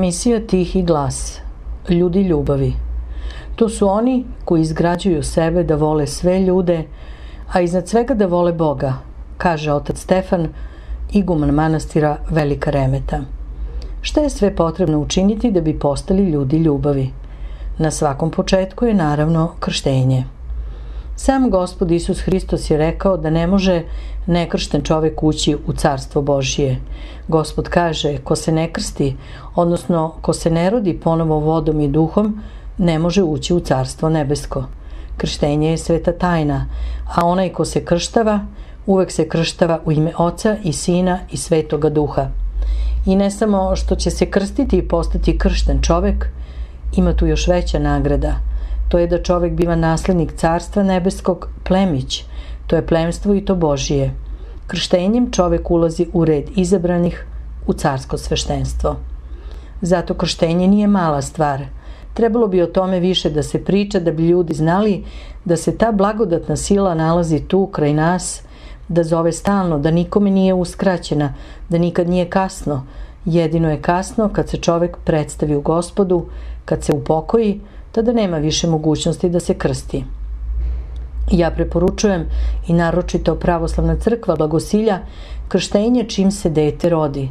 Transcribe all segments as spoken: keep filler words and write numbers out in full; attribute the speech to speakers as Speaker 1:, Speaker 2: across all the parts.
Speaker 1: Emisija Tihi glas. Ljudi ljubavi. To su oni koji izgrađuju sebe da vole sve ljude, a iznad svega da vole Boga, kaže otac Stefan, iguman manastira Velika Remeta. Šta je sve potrebno učiniti da bi postali ljudi ljubavi? Na svakom početku je naravno krštenje. Sam Gospod Isus Hristos je rekao da ne može nekršten čovek ući u carstvo Božije. Gospod kaže, ko se ne krsti, odnosno ko se ne rodi ponovo vodom i duhom, ne može ući u carstvo nebesko. Krštenje je sveta tajna, a onaj ko se krštava, uvek se krštava u ime Oca i Sina i Svetoga Duha. I ne samo što će se krstiti i postati kršten čovek, ima tu još veća nagrada. To je da čovek biva naslednik carstva nebeskog, plemić. To je plemstvo i to Božije. Krštenjem čovek ulazi u red izabranih, u carsko sveštenstvo. Zato krštenje nije mala stvar. Trebalo bi o tome više da se priča, da bi ljudi znali da se ta blagodatna sila nalazi tu kraj nas, da zove stalno, da nikome nije uskraćena, da nikad nije kasno. Jedino je kasno kad se čovek predstavi u Gospodu, kad se upokoji, tada nema više mogućnosti da se krsti. Ja preporučujem i naročito Pravoslavna crkva blagosilja krštenje čim se dete rodi.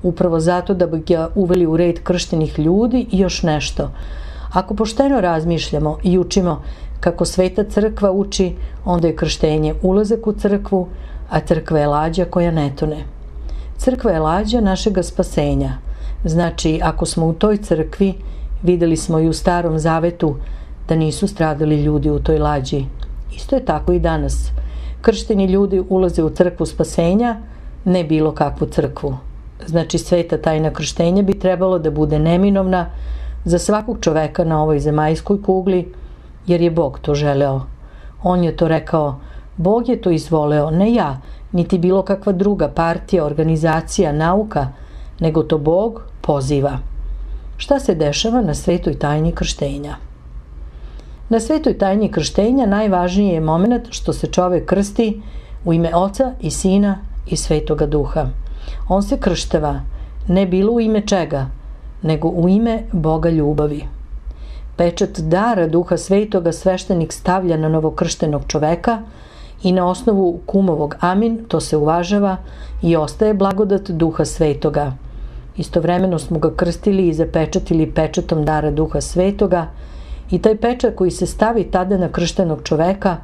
Speaker 1: Upravo zato da bi ga uveli u red krštenih ljudi i još nešto. Ako pošteno razmišljamo i učimo kako Sveta crkva uči, onda je krštenje ulazak u crkvu, a crkva je lađa koja ne tone. Crkva je lađa našega spasenja. Znači, ako smo u toj crkvi, videli smo i u Starom Zavetu da nisu stradali ljudi u toj lađi. Isto je tako i danas. Kršteni ljudi ulaze u crkvu spasenja, ne bilo kakvu crkvu. Znači, sveta tajna krštenja bi trebalo da bude neminovna za svakog čoveka na ovoj zemaljskoj kugli, jer je Bog to želeo. On je to rekao, Bog je to izvoleo, ne ja, niti bilo kakva druga partija, organizacija, nauka, nego to Bog poziva. Šta se dešava na svetoj tajni krštenja? Na svetoj tajni krštenja najvažniji je moment što se čovek krsti u ime Oca i Sina i Svetoga Duha. On se krštava ne bilo u ime čega, nego u ime Boga ljubavi. Pečat dara Duha Svetoga sveštenik stavlja na novokrštenog čoveka i na osnovu kumovog amin to se uvažava i ostaje blagodat Duha Svetoga. Istovremeno smo ga krstili i zapečatili pečatom dara Duha Svetoga i taj pečat koji se stavi tada na krštenog čoveka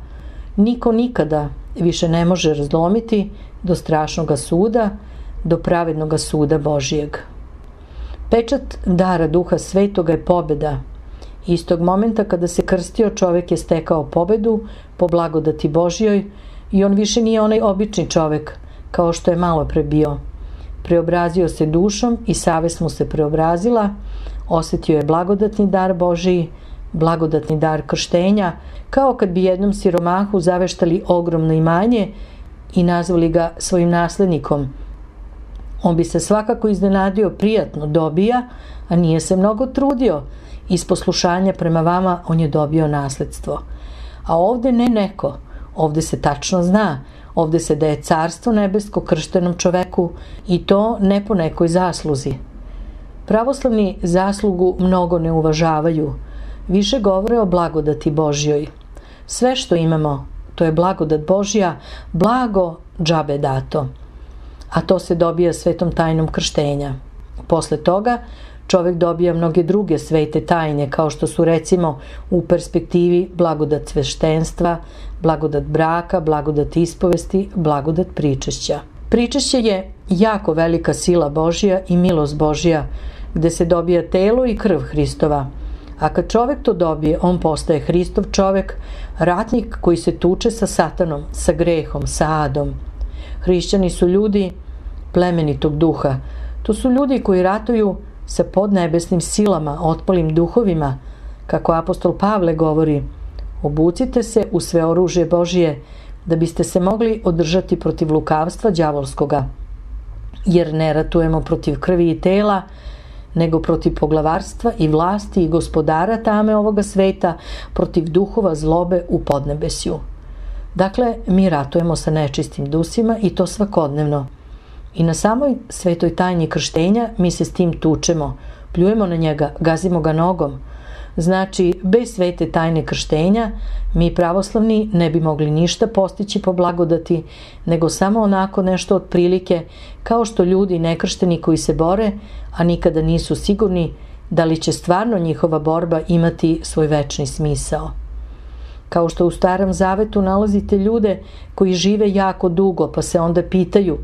Speaker 1: niko nikada više ne može razlomiti do strašnog suda, do pravednog suda Božijeg. Pečat dara Duha Svetoga je pobeda. Istog momenta kada se krstio, čovek je stekao pobedu po blagodati Božjoj i on više nije onaj obični čovek kao što je malo pre bio. Preobrazio se dušom i savest mu se preobrazila, osetio je blagodatni dar Božiji, blagodatni dar krštenja, kao kad bi jednom siromahu zaveštali ogromno imanje i nazvali ga svojim naslednikom. On bi se svakako iznenadio, prijatno dobija, a nije se mnogo trudio. Iz poslušanja prema vama on je dobio nasledstvo. A ovde ne neko, ovde se tačno zna, ovde se daje carstvo nebesko krštenom čoveku i to ne po nekoj zasluzi. Pravoslavni zaslugu mnogo ne uvažavaju, više govore o blagodati Božjoj. Sve što imamo, to je blagodat Božja, blago džabe dato. A to se dobija svetom tajnom krštenja. Posle toga čovek dobija mnoge druge svete tajne, kao što su recimo u perspektivi blagodat sveštenstva, blagodat braka, blagodat ispovesti, blagodat pričešća. Pričešće je jako velika sila Božja i milost Božja, gde se dobija telo i krv Hristova. A kad čovek to dobije, on postaje Hristov čovek, ratnik koji se tuče sa satanom, sa grehom, sa adom. Hrišćani su ljudi plemenitog duha. To su ljudi koji ratuju sa podnebesnim silama, otpalim duhovima, kako apostol Pavle govori, obucite se u sve oružje Božije, da biste se mogli održati protiv lukavstva đavolskoga, jer ne ratujemo protiv krvi i tela, nego protiv poglavarstva i vlasti i gospodara tame ovoga sveta, protiv duhova zlobe u podnebesju. Dakle, mi ratujemo sa nečistim dusima i to svakodnevno. I na samoj svetoj tajni krštenja mi se s tim tučemo, pljujemo na njega, gazimo ga nogom. Znači, bez svete tajne krštenja, mi pravoslavni ne bi mogli ništa postići po blagodati, nego samo onako nešto otprilike, kao što ljudi nekršteni koji se bore, a nikada nisu sigurni da li će stvarno njihova borba imati svoj večni smisao. Kao što u Starom Zavetu nalazite ljude koji žive jako dugo, pa se onda pitaju,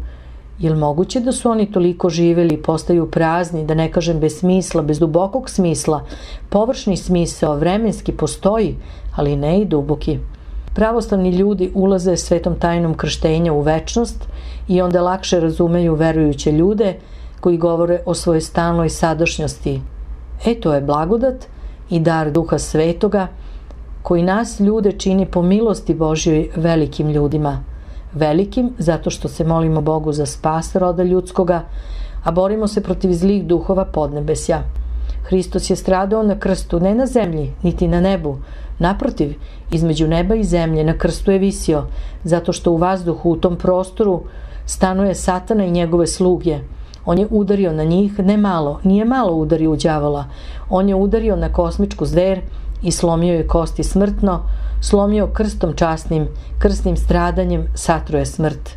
Speaker 1: je li moguće da su oni toliko živeli i postaju prazni, da ne kažem bez smisla, bez dubokog smisla? Površni smisao vremenski postoji, ali ne i duboki. Pravoslavni ljudi ulaze svetom tajnom krštenja u večnost i onda lakše razumeju verujuće ljude koji govore o svojoj stalnoj sadašnjosti. E, to je blagodat i dar Duha Svetoga koji nas ljude čini po milosti Božjoj velikim ljudima. Velikim zato što se molimo Bogu za spas roda ljudskoga, a borimo se protiv zlih duhova podnebesja. Hristos je stradao na krstu ne na zemlji, niti na nebu. Naprotiv, između neba i zemlje na krstu je visio, zato što u vazduhu u tom prostoru stanuje Satana i njegove sluge. On je udario na njih ne malo, nije malo udario u đavola. On je udario na kosmičku zver i slomio je kosti smrtno, slomio krstom časnim, krsnim stradanjem satruje smrt.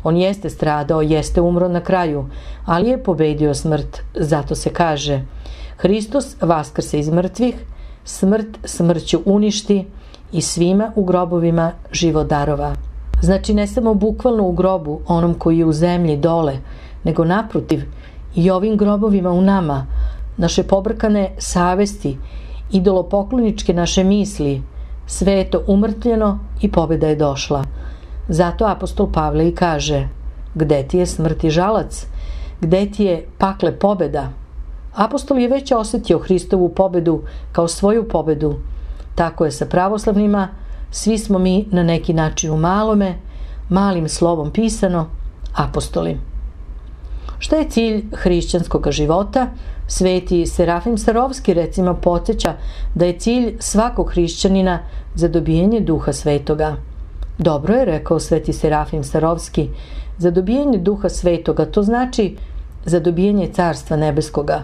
Speaker 1: On jeste stradao, jeste umro na kraju, ali je pobedio smrt. Zato se kaže, Hristos vaskrse iz mrtvih, smrt smrću uništi i svima u grobovima život darova. Znači ne samo bukvalno u grobu, onom koji je u zemlji dole, nego naprotiv i ovim grobovima u nama, naše pobrkane savesti, idolopokloničke naše misli, sve je to umrtljeno i pobjeda je došla. Zato apostol Pavle i kaže, gde ti je smrt i žalac, gde ti je pakle pobjeda? Apostol je već osjetio Hristovu pobjedu kao svoju pobjedu. Tako je sa pravoslavnima, svi smo mi na neki način u malome, malim slovom pisano, apostoli. Šta je cilj hrišćanskog života? Sveti Serafim Sarovski recimo podsjeća da je cilj svakog hrišćanina za dobijanje Duha Svetoga. Dobro je, rekao sveti Serafim Sarovski, za dobijanje Duha Svetoga, to znači za dobijanje Carstva Nebeskoga.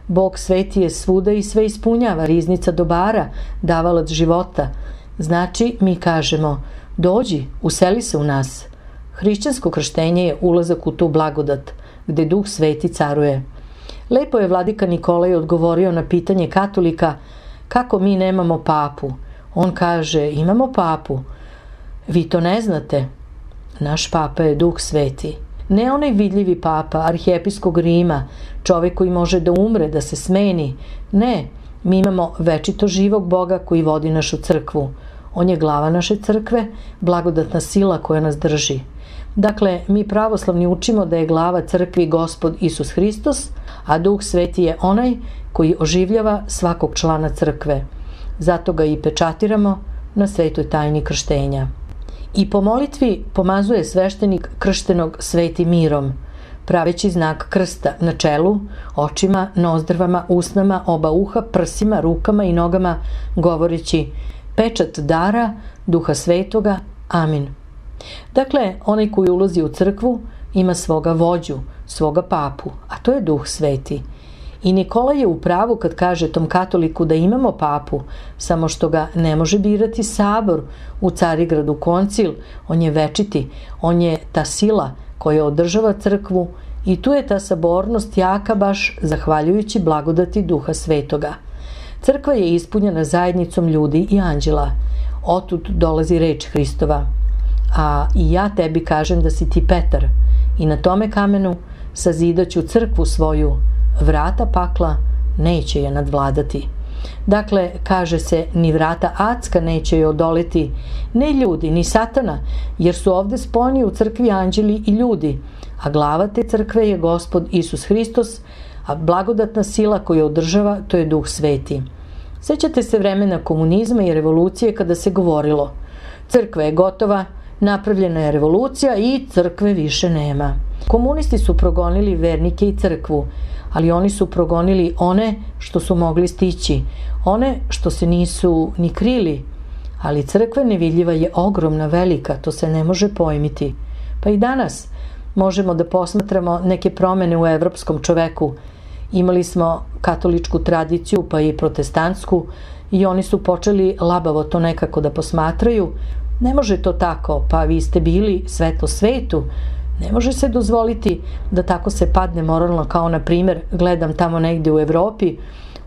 Speaker 1: Bog sveti je svuda i sve ispunjava, riznica dobara, davalac života. Znači, mi kažemo, dođi, useli se u nas. Hrišćansko krštenje je ulazak u tu blagodat, gde Duh Sveti caruje. Lepo je vladika Nikolaj odgovorio na pitanje katolika kako mi nemamo papu. On kaže, imamo papu. Vi to ne znate. Naš papa je Duh Sveti. Ne onaj vidljivi papa, arhijepiskog Rima, čovjek koji može da umre, da se smeni. Ne, mi imamo večito živog Boga koji vodi našu crkvu. On je glava naše crkve, blagodatna sila koja nas drži. Dakle, mi pravoslavni učimo da je glava crkvi Gospod Isus Hristos, a Duh Sveti je onaj koji oživljava svakog člana crkve. Zato ga i pečatiramo na svetoj tajni krštenja. I po molitvi pomazuje sveštenik krštenog svetim mirom, praveći znak krsta na čelu, očima, nozdrvama, usnama, oba uha, prsima, rukama i nogama, govoreći pečat dara Duha Svetoga. Amin. Dakle, onaj koji ulazi u crkvu ima svoga vođu, svoga papu, a to je Duh Sveti. I Nikola je u pravu kad kaže tom katoliku da imamo papu, samo što ga ne može birati sabor u Carigradu koncil, on je večiti, on je ta sila koja održava crkvu i tu je ta sabornost jaka baš zahvaljujući blagodati Duha Svetoga. Crkva je ispunjena zajednicom ljudi i anđela. Otud dolazi reč Hristova. A i ja tebi kažem da si ti Petar i na tome kamenu sazidaću crkvu svoju, vrata pakla neće je nadvladati. Dakle, kaže se, ni vrata adska neće je odoleti, ne ljudi, ni Satana, jer su ovde spojeni u crkvi anđeli i ljudi, a glava te crkve je Gospod Isus Hristos, a blagodatna sila koju održava, to je Duh Sveti. Sećate se vremena komunizma i revolucije kada se govorilo, crkva je gotova, napravljena je revolucija i crkve više nema. Komunisti su progonili vernike i crkvu, ali oni su progonili one što su mogli stići, one što se nisu ni krili, ali crkva nevidljiva je ogromna, velika, to se ne može pojmiti. Pa i danas možemo da posmatramo neke promene u evropskom čoveku Imali smo katoličku tradiciju, pa i protestantsku, i oni su počeli labavo to nekako da posmatraju. Ne može to tako, pa vi ste bili svetlo svetu. Ne može se dozvoliti da tako se padne moralno, kao na primjer, gledam tamo negdje u Evropi,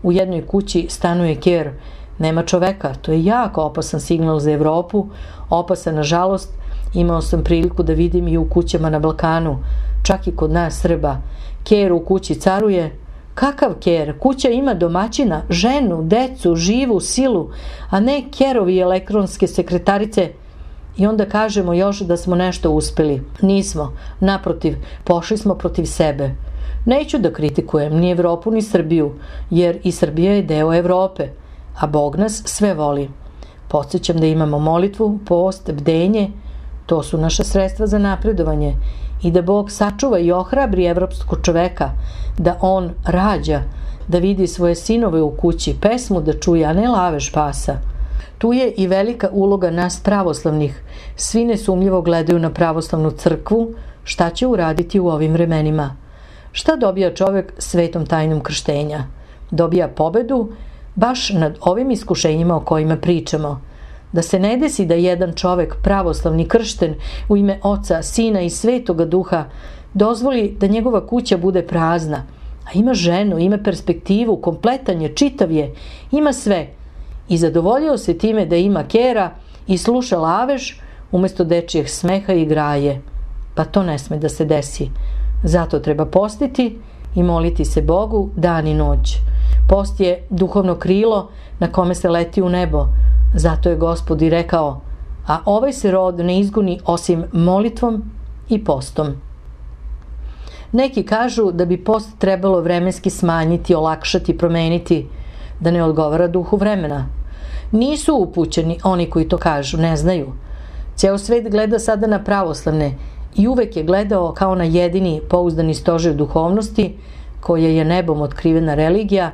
Speaker 1: u jednoj kući stanuje ker, nema čoveka. To je jako opasan signal za Evropu, opasan nažalost. Imao sam priliku da vidim i u kućama na Balkanu, čak i kod nas Srba. Ker u kući caruje. Kakav ker? Kuća ima domaćina, ženu, decu, živu silu, a ne kerovi elektronske sekretarice. I onda kažemo još da smo nešto uspeli. Nismo. Naprotiv, pošli smo protiv sebe. Neću da kritikujem ni Evropu ni Srbiju, jer i Srbija je deo Evrope, a Bog nas sve voli. Podsjećam da imamo molitvu, post, bdenje, to su naša sredstva za napredovanje, i da Bog sačuva i ohrabri evropskog čoveka, da on rađa, da vidi svoje sinove u kući, pesmu da čuje, a ne lavež pasa. Tu je i velika uloga nas pravoslavnih. Svi nesumljivo gledaju na pravoslavnu crkvu, šta će uraditi u ovim vremenima. Šta dobija čovjek svetom tajnom krštenja? Dobija pobedu baš nad ovim iskušenjima o kojima pričamo. Da se ne desi da jedan čovjek, pravoslavni kršten u ime Oca, Sina i Svetoga Duha, dozvoli da njegova kuća bude prazna, a ima ženu, ima perspektivu, kompletan je, čitav je, ima sve, i zadovoljio se time da ima kera i sluša lavež umjesto dečijeg smeha i graje. Pa to ne sme da se desi. Zato treba postiti i moliti se Bogu dan i noć. Post je duhovno krilo na kome se leti u nebo. Zato je Gospod i rekao, a ovaj se rod ne izgoni osim molitvom i postom. Neki kažu da bi post trebalo vremenski smanjiti, olakšati, promeniti, da ne odgovara duhu vremena. Nisu upućeni oni koji to kažu, ne znaju. Ceo svet gleda sada na pravoslavne i uvek je gledao kao na jedini pouzdani stožer duhovnosti, koja je nebom otkrivena religija.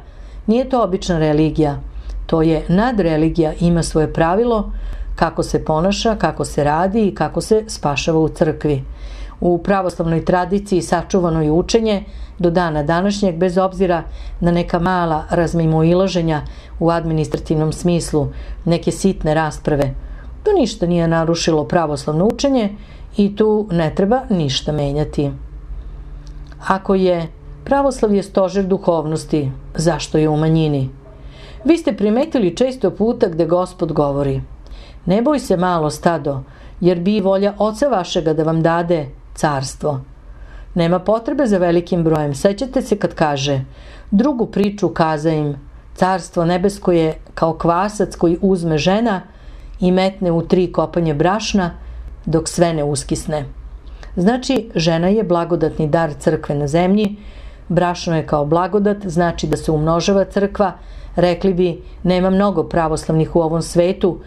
Speaker 1: Nije to obična religija, to je nadreligija, ima svoje pravilo kako se ponaša, kako se radi i kako se spašava u crkvi. U pravoslavnoj tradiciji sačuvano je učenje do dana današnjeg, bez obzira na neka mala razmimoilaženja u administrativnom smislu, neke sitne rasprave. To ništa nije narušilo pravoslavno učenje i tu ne treba ništa menjati. Ako je pravoslavlje stožer duhovnosti, zašto je u manjini? Vi ste primetili često puta gde Gospod govori: ne boj se malo stado, jer bi volja Oca vašega da vam dade carstvo. Nema potrebe za velikim brojem. Sećate se kad kaže: drugu priču kaza im, carstvo nebesko je kao kvasac koji uzme žena i metne u tri kopanje brašna dok sve ne uskisne. Znači, žena je blagodatni dar crkve na zemlji, brašno je kao blagodat, znači da se umnožava crkva. Rekli bi, nema mnogo pravoslavnih u ovom svetu,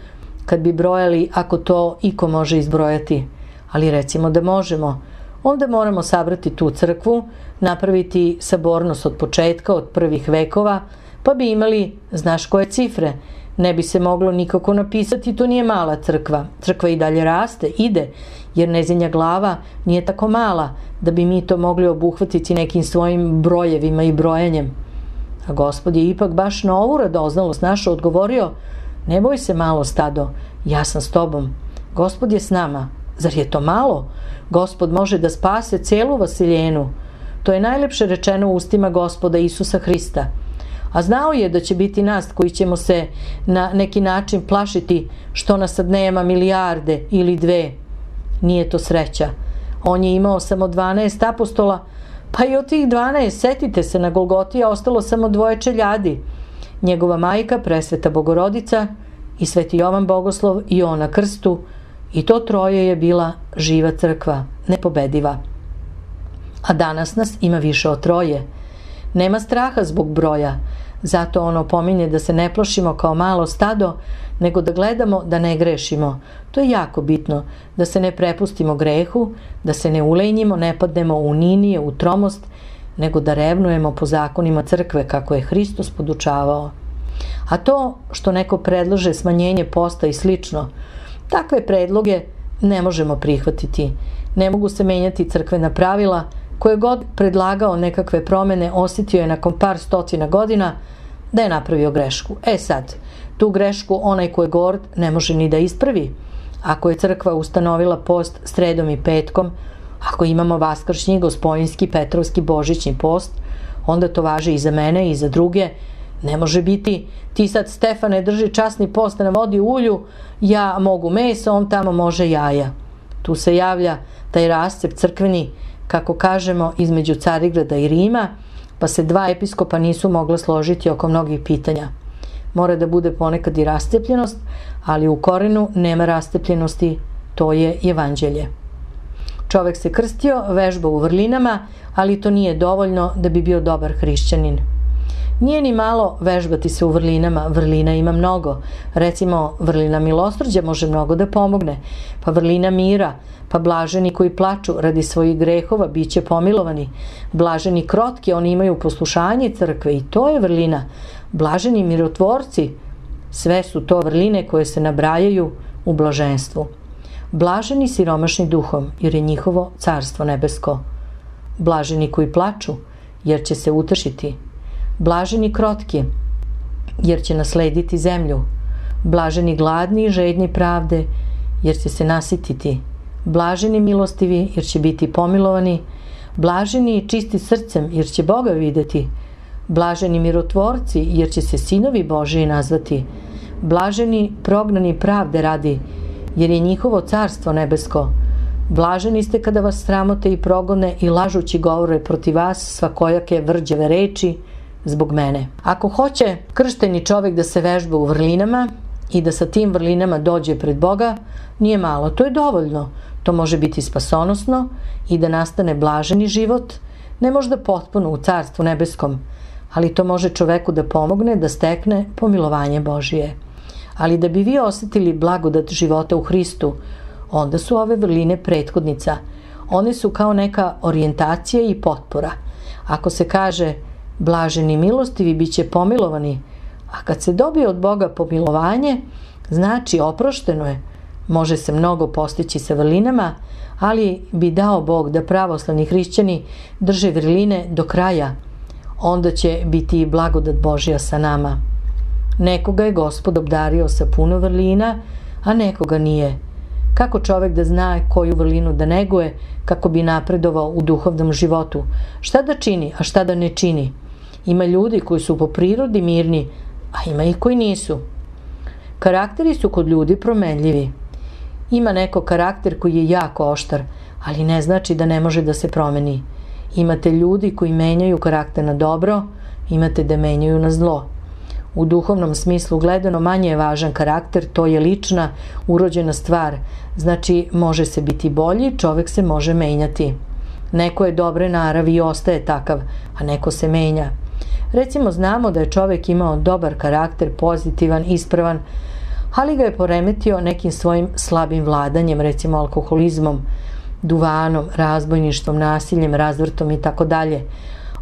Speaker 1: kad bi brojali, ako to iko može izbrojati. Ali recimo da možemo. Onda moramo sabrati tu crkvu, napraviti sabornost od početka, od prvih vekova, pa bi imali, znaš koje cifre. Ne bi se moglo nikako napisati, to nije mala crkva. Crkva i dalje raste, ide, jer nezinja glava nije tako mala da bi mi to mogli obuhvatiti nekim svojim brojevima i brojanjem. A Gospod je ipak baš na ovu radoznalost našu odgovorio: ne boj se malo stado, ja sam s tobom. Gospod je s nama. Zar je to malo? Gospod može da spase celu Vasiljenu. To je najlepše rečeno u ustima Gospoda Isusa Hrista. A znao je da će biti nas koji ćemo se na neki način plašiti što nas sad nema milijarde ili dve. Nije to sreća. On je imao samo dvanaest apostola, pa i od tih dvanaest, setite se, na Golgoti je ostalo samo dvoje čeljadi. Njegova majka, presveta Bogorodica, i sveti Jovan Bogoslov i on na krstu, i to troje je bila živa crkva, nepobediva. A danas nas ima više od troje. Nema straha zbog broja, zato ono pominje da se ne plašimo kao malo stado, nego da gledamo da ne grešimo. To je jako bitno, da se ne prepustimo grehu, da se ne ulenjimo, ne padnemo u ninije, u tromost, nego da revnujemo po zakonima crkve kako je Hristos podučavao. A to što neko predlaže smanjenje posta i slično, takve predloge ne možemo prihvatiti. Ne mogu se menjati crkvena pravila, Koje god predlagao nekakve promene, osjetio je nakon par stotina godina da je napravio grešku. E sad, tu grešku onaj ko je gord ne može ni da ispravi. Ako je crkva ustanovila post sredom i petkom, ako imamo vaskršnji, gospojinski, petrovski, božićni post, onda to važi i za mene i za druge. Ne može biti, ti sad Stefane drži časni post na vodi u ulju, ja mogu meso, on tamo može jaja. Tu se javlja taj rascep crkveni, kako kažemo, između Carigrada i Rima, pa se dva episkopa nisu mogla složiti oko mnogih pitanja. Mora da bude ponekad i rascepljenost, ali u korenu nema rascepljenosti, to je evanđelje. Čovek se krstio, vežba u vrlinama, ali to nije dovoljno da bi bio dobar hrišćanin. Nije ni malo vežbati se u vrlinama, vrlina ima mnogo. Recimo, vrlina milosrđa može mnogo da pomogne, pa vrlina mira, pa blaženi koji plaču radi svojih grehova bit će pomilovani. Blaženi krotki, oni imaju poslušanje crkve i to je vrlina. Blaženi mirotvorci, sve su to vrline koje se nabrajaju u blaženstvu. Blaženi siromašni duhom, jer je njihovo carstvo nebesko. Blaženi koji plaču, jer će se utešiti. Blaženi krotki, jer će naslediti zemlju. Blaženi gladni i žedni pravde, jer će se nasititi. Blaženi milostivi, jer će biti pomilovani. Blaženi i čisti srcem, jer će Boga videti. Blaženi mirotvorci, jer će se sinovi Božiji nazvati. Blaženi prognani pravde radi, jer je njihovo carstvo nebesko. Blaženi ste kada vas sramote i progone i lažući govore protiv vas svakojake vrđave reči zbog mene. Ako hoće kršteni čovek da se vežba u vrlinama i da sa tim vrlinama dođe pred Boga, nije malo, to je dovoljno. To može biti spasonosno i da nastane blaženi život, ne možda potpuno u carstvu nebeskom, ali to može čoveku da pomogne da stekne pomilovanje Božije. Ali da bi vi osetili blagodat života u Hristu, onda su ove vrline prethodnica. One su kao neka orijentacija i potpora. Ako se kaže blaženi milostivi bit će pomilovani, a kad se dobije od Boga pomilovanje, znači oprošteno je. Može se mnogo postići sa vrlinama, ali bi dao Bog da pravoslavni hrišćani drže vrline do kraja. Onda će biti i blagodat Božja sa nama. Nekoga je Gospod obdario sa puno vrlina, a nekoga nije. Kako čovek da zna koju vrlinu da neguje, kako bi napredovao u duhovnom životu? Šta da čini, a šta da ne čini? Ima ljudi koji su po prirodi mirni, a ima i koji nisu. Karakteri su kod ljudi promenljivi. Ima neko karakter koji je jako oštar, ali ne znači da ne može da se promeni. Imate ljudi koji menjaju karakter na dobro, imate da menjaju na zlo. U duhovnom smislu gledano manje je važan karakter, to je lična, urođena stvar. Znači, može se biti bolji, čovek se može menjati. Neko je dobre naravi i ostaje takav, a neko se menja. Recimo, znamo da je čovek imao dobar karakter, pozitivan, ispravan, ali ga je poremetio nekim svojim slabim vladanjem, recimo alkoholizmom, duvanom, razbojništvom, nasiljem, razvrtom i tako dalje.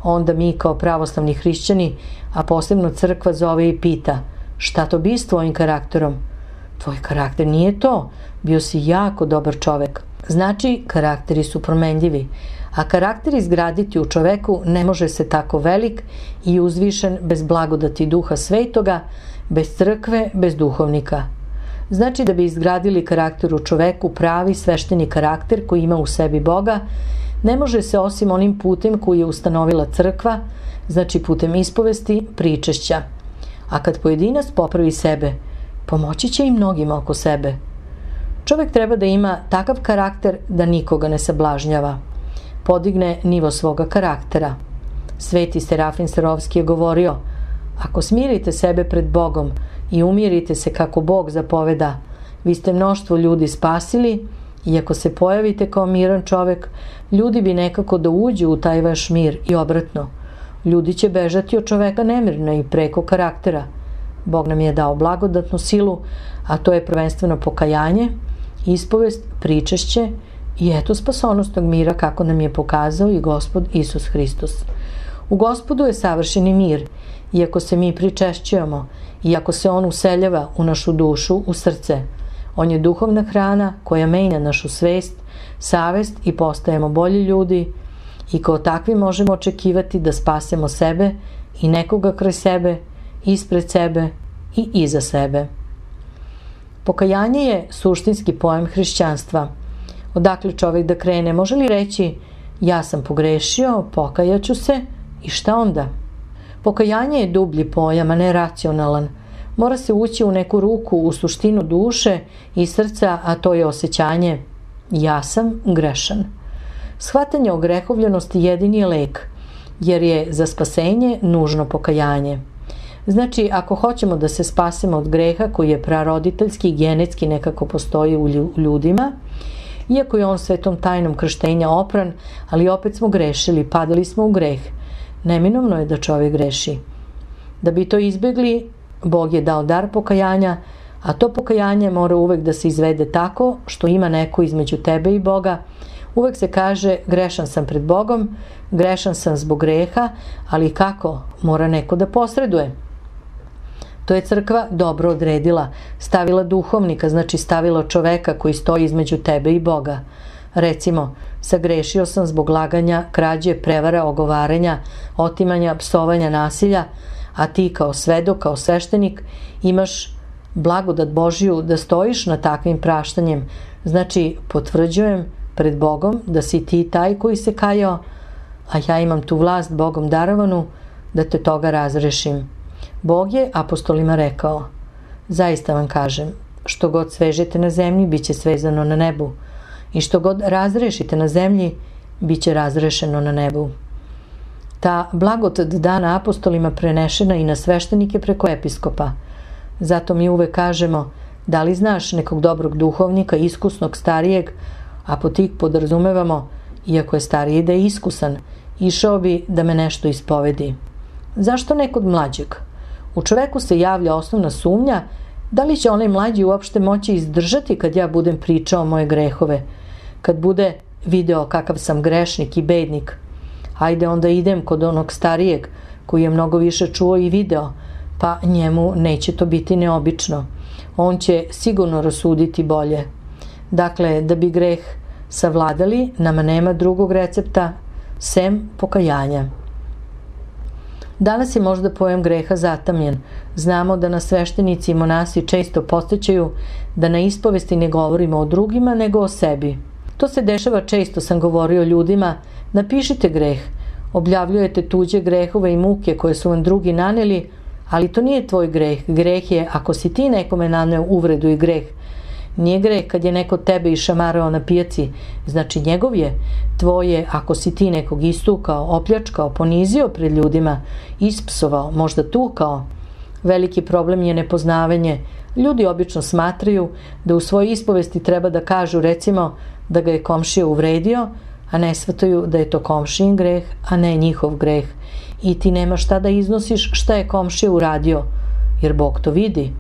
Speaker 1: Onda mi kao pravoslavni hrišćani, a posebno crkva zove i pita: šta to bi s tvojim karakterom? Tvoj karakter nije to, bio si jako dobar čovek. Znači, karakteri su promenljivi, a karakter izgraditi u čoveku ne može se tako velik i uzvišen bez blagodati Duha Svetoga, bez crkve, bez duhovnika. Znači, da bi izgradili karakter u čoveku, pravi svešteni karakter koji ima u sebi Boga, ne može se osim onim putem koji je ustanovila crkva, znači putem ispovesti, pričešća. A kad pojedinac popravi sebe, pomoći će i mnogima oko sebe. Čovek treba da ima takav karakter da nikoga ne sablažnjava. Podigne nivo svoga karaktera. Sveti Serafim Sarovski je govorio: ako smirite sebe pred Bogom i umirite se kako Bog zapoveda, vi ste mnoštvo ljudi spasili, i ako se pojavite kao miran čovek, ljudi bi nekako da uđu u taj vaš mir i obratno. Ljudi će bežati od čoveka nemirno i preko karaktera. Bog nam je dao blagodatnu silu, a to je prvenstveno pokajanje, ispovest, pričešće i eto spasonosnog mira kako nam je pokazao i Gospod Isus Hristos. U Gospodu je savršeni mir, iako se mi pričešćujemo, iako se On useljava u našu dušu, u srce. On je duhovna hrana koja menja našu svest, savest i postajemo bolji ljudi. i kao takvi možemo očekivati da spasemo sebe i nekoga kroz sebe, ispred sebe i iza sebe. Pokajanje je suštinski pojam hrišćanstva. Odakle čovjek da krene? Može li reći ja sam pogrešio, pokajaću se i šta onda? Pokajanje je dublji pojam, a ne racionalan. Mora se ući u neku ruku, u suštinu duše i srca, a to je osjećanje ja sam grešan. Shvatanje o grehovljenosti jedini je lek, jer je za spasenje nužno pokajanje. Znači, ako hoćemo da se spasimo od greha koji je praroditeljski i genetski nekako postoji u ljudima, iako je on svetom tajnom krštenja opran, ali opet smo grešili, padali smo u greh. Neminovno je da čovjek greši. Da bi to izbjegli, Bog je dao dar pokajanja, a to pokajanje mora uvek da se izvede tako što ima neko između tebe i Boga. Uvek se kaže grešan sam pred Bogom, grešan sam zbog greha, ali kako? Mora neko da posreduje. To je crkva dobro odredila, stavila duhovnika, znači stavila čoveka koji stoji između tebe i Boga. Recimo, sagrešio sam zbog laganja, krađe, prevara, ogovaranja, otimanja, psovanja, nasilja, a ti kao svedok, kao sveštenik imaš blagodat Božiju da stojiš na takvim praštanjem. Znači, potvrđujem pred Bogom da si ti taj koji se kajao, a ja imam tu vlast Bogom darovanu da te toga razrešim. Bog je apostolima rekao, zaista vam kažem, što god svežete na zemlji, bit će svezano na nebu, i što god razrešite na zemlji, bit će razrešeno na nebu. Ta blagodat dana apostolima prenešena i na sveštenike preko episkopa. Zato mi uvek kažemo, da li znaš nekog dobrog duhovnika, iskusnog, starijeg, a po tih podrazumevamo, iako je stariji da je iskusan, išao bi da me nešto ispovedi. Zašto nekod mlađeg? U čoveku se javlja osnovna sumnja da li će onaj mlađi uopšte moći izdržati kad ja budem pričao moje grehove, kad bude video kakav sam grešnik i bednik. Hajde onda idem kod onog starijeg koji je mnogo više čuo i video, pa njemu neće to biti neobično. On će sigurno rasuditi bolje. Dakle, da bi greh savladali, nama nema drugog recepta sem pokajanja. Danas je možda pojam greha zatamljen. Znamo da nas sveštenici i monasi često podsećaju da na ispovesti ne govorimo o drugima nego o sebi. To se dešava često, sam govorio ljudima, napišite greh, objavljujete tuđe grehove i muke koje su vam drugi naneli, ali to nije tvoj greh. Greh je ako si ti nekome naneo uvredu i greh. Nije greh kad je neko tebe išamarao na pijaci, znači njegov je. Tvoje ako si ti nekog istukao, opljačkao, ponizio pred ljudima, ispsovao, možda tukao. Veliki problem je nepoznavanje. Ljudi obično smatraju da u svojoj ispovesti treba da kažu recimo da ga je komšija uvredio, a ne shvataju da je to komšijin greh, a ne njihov greh. I ti nema šta da iznosiš šta je komšija uradio, jer Bog to vidi.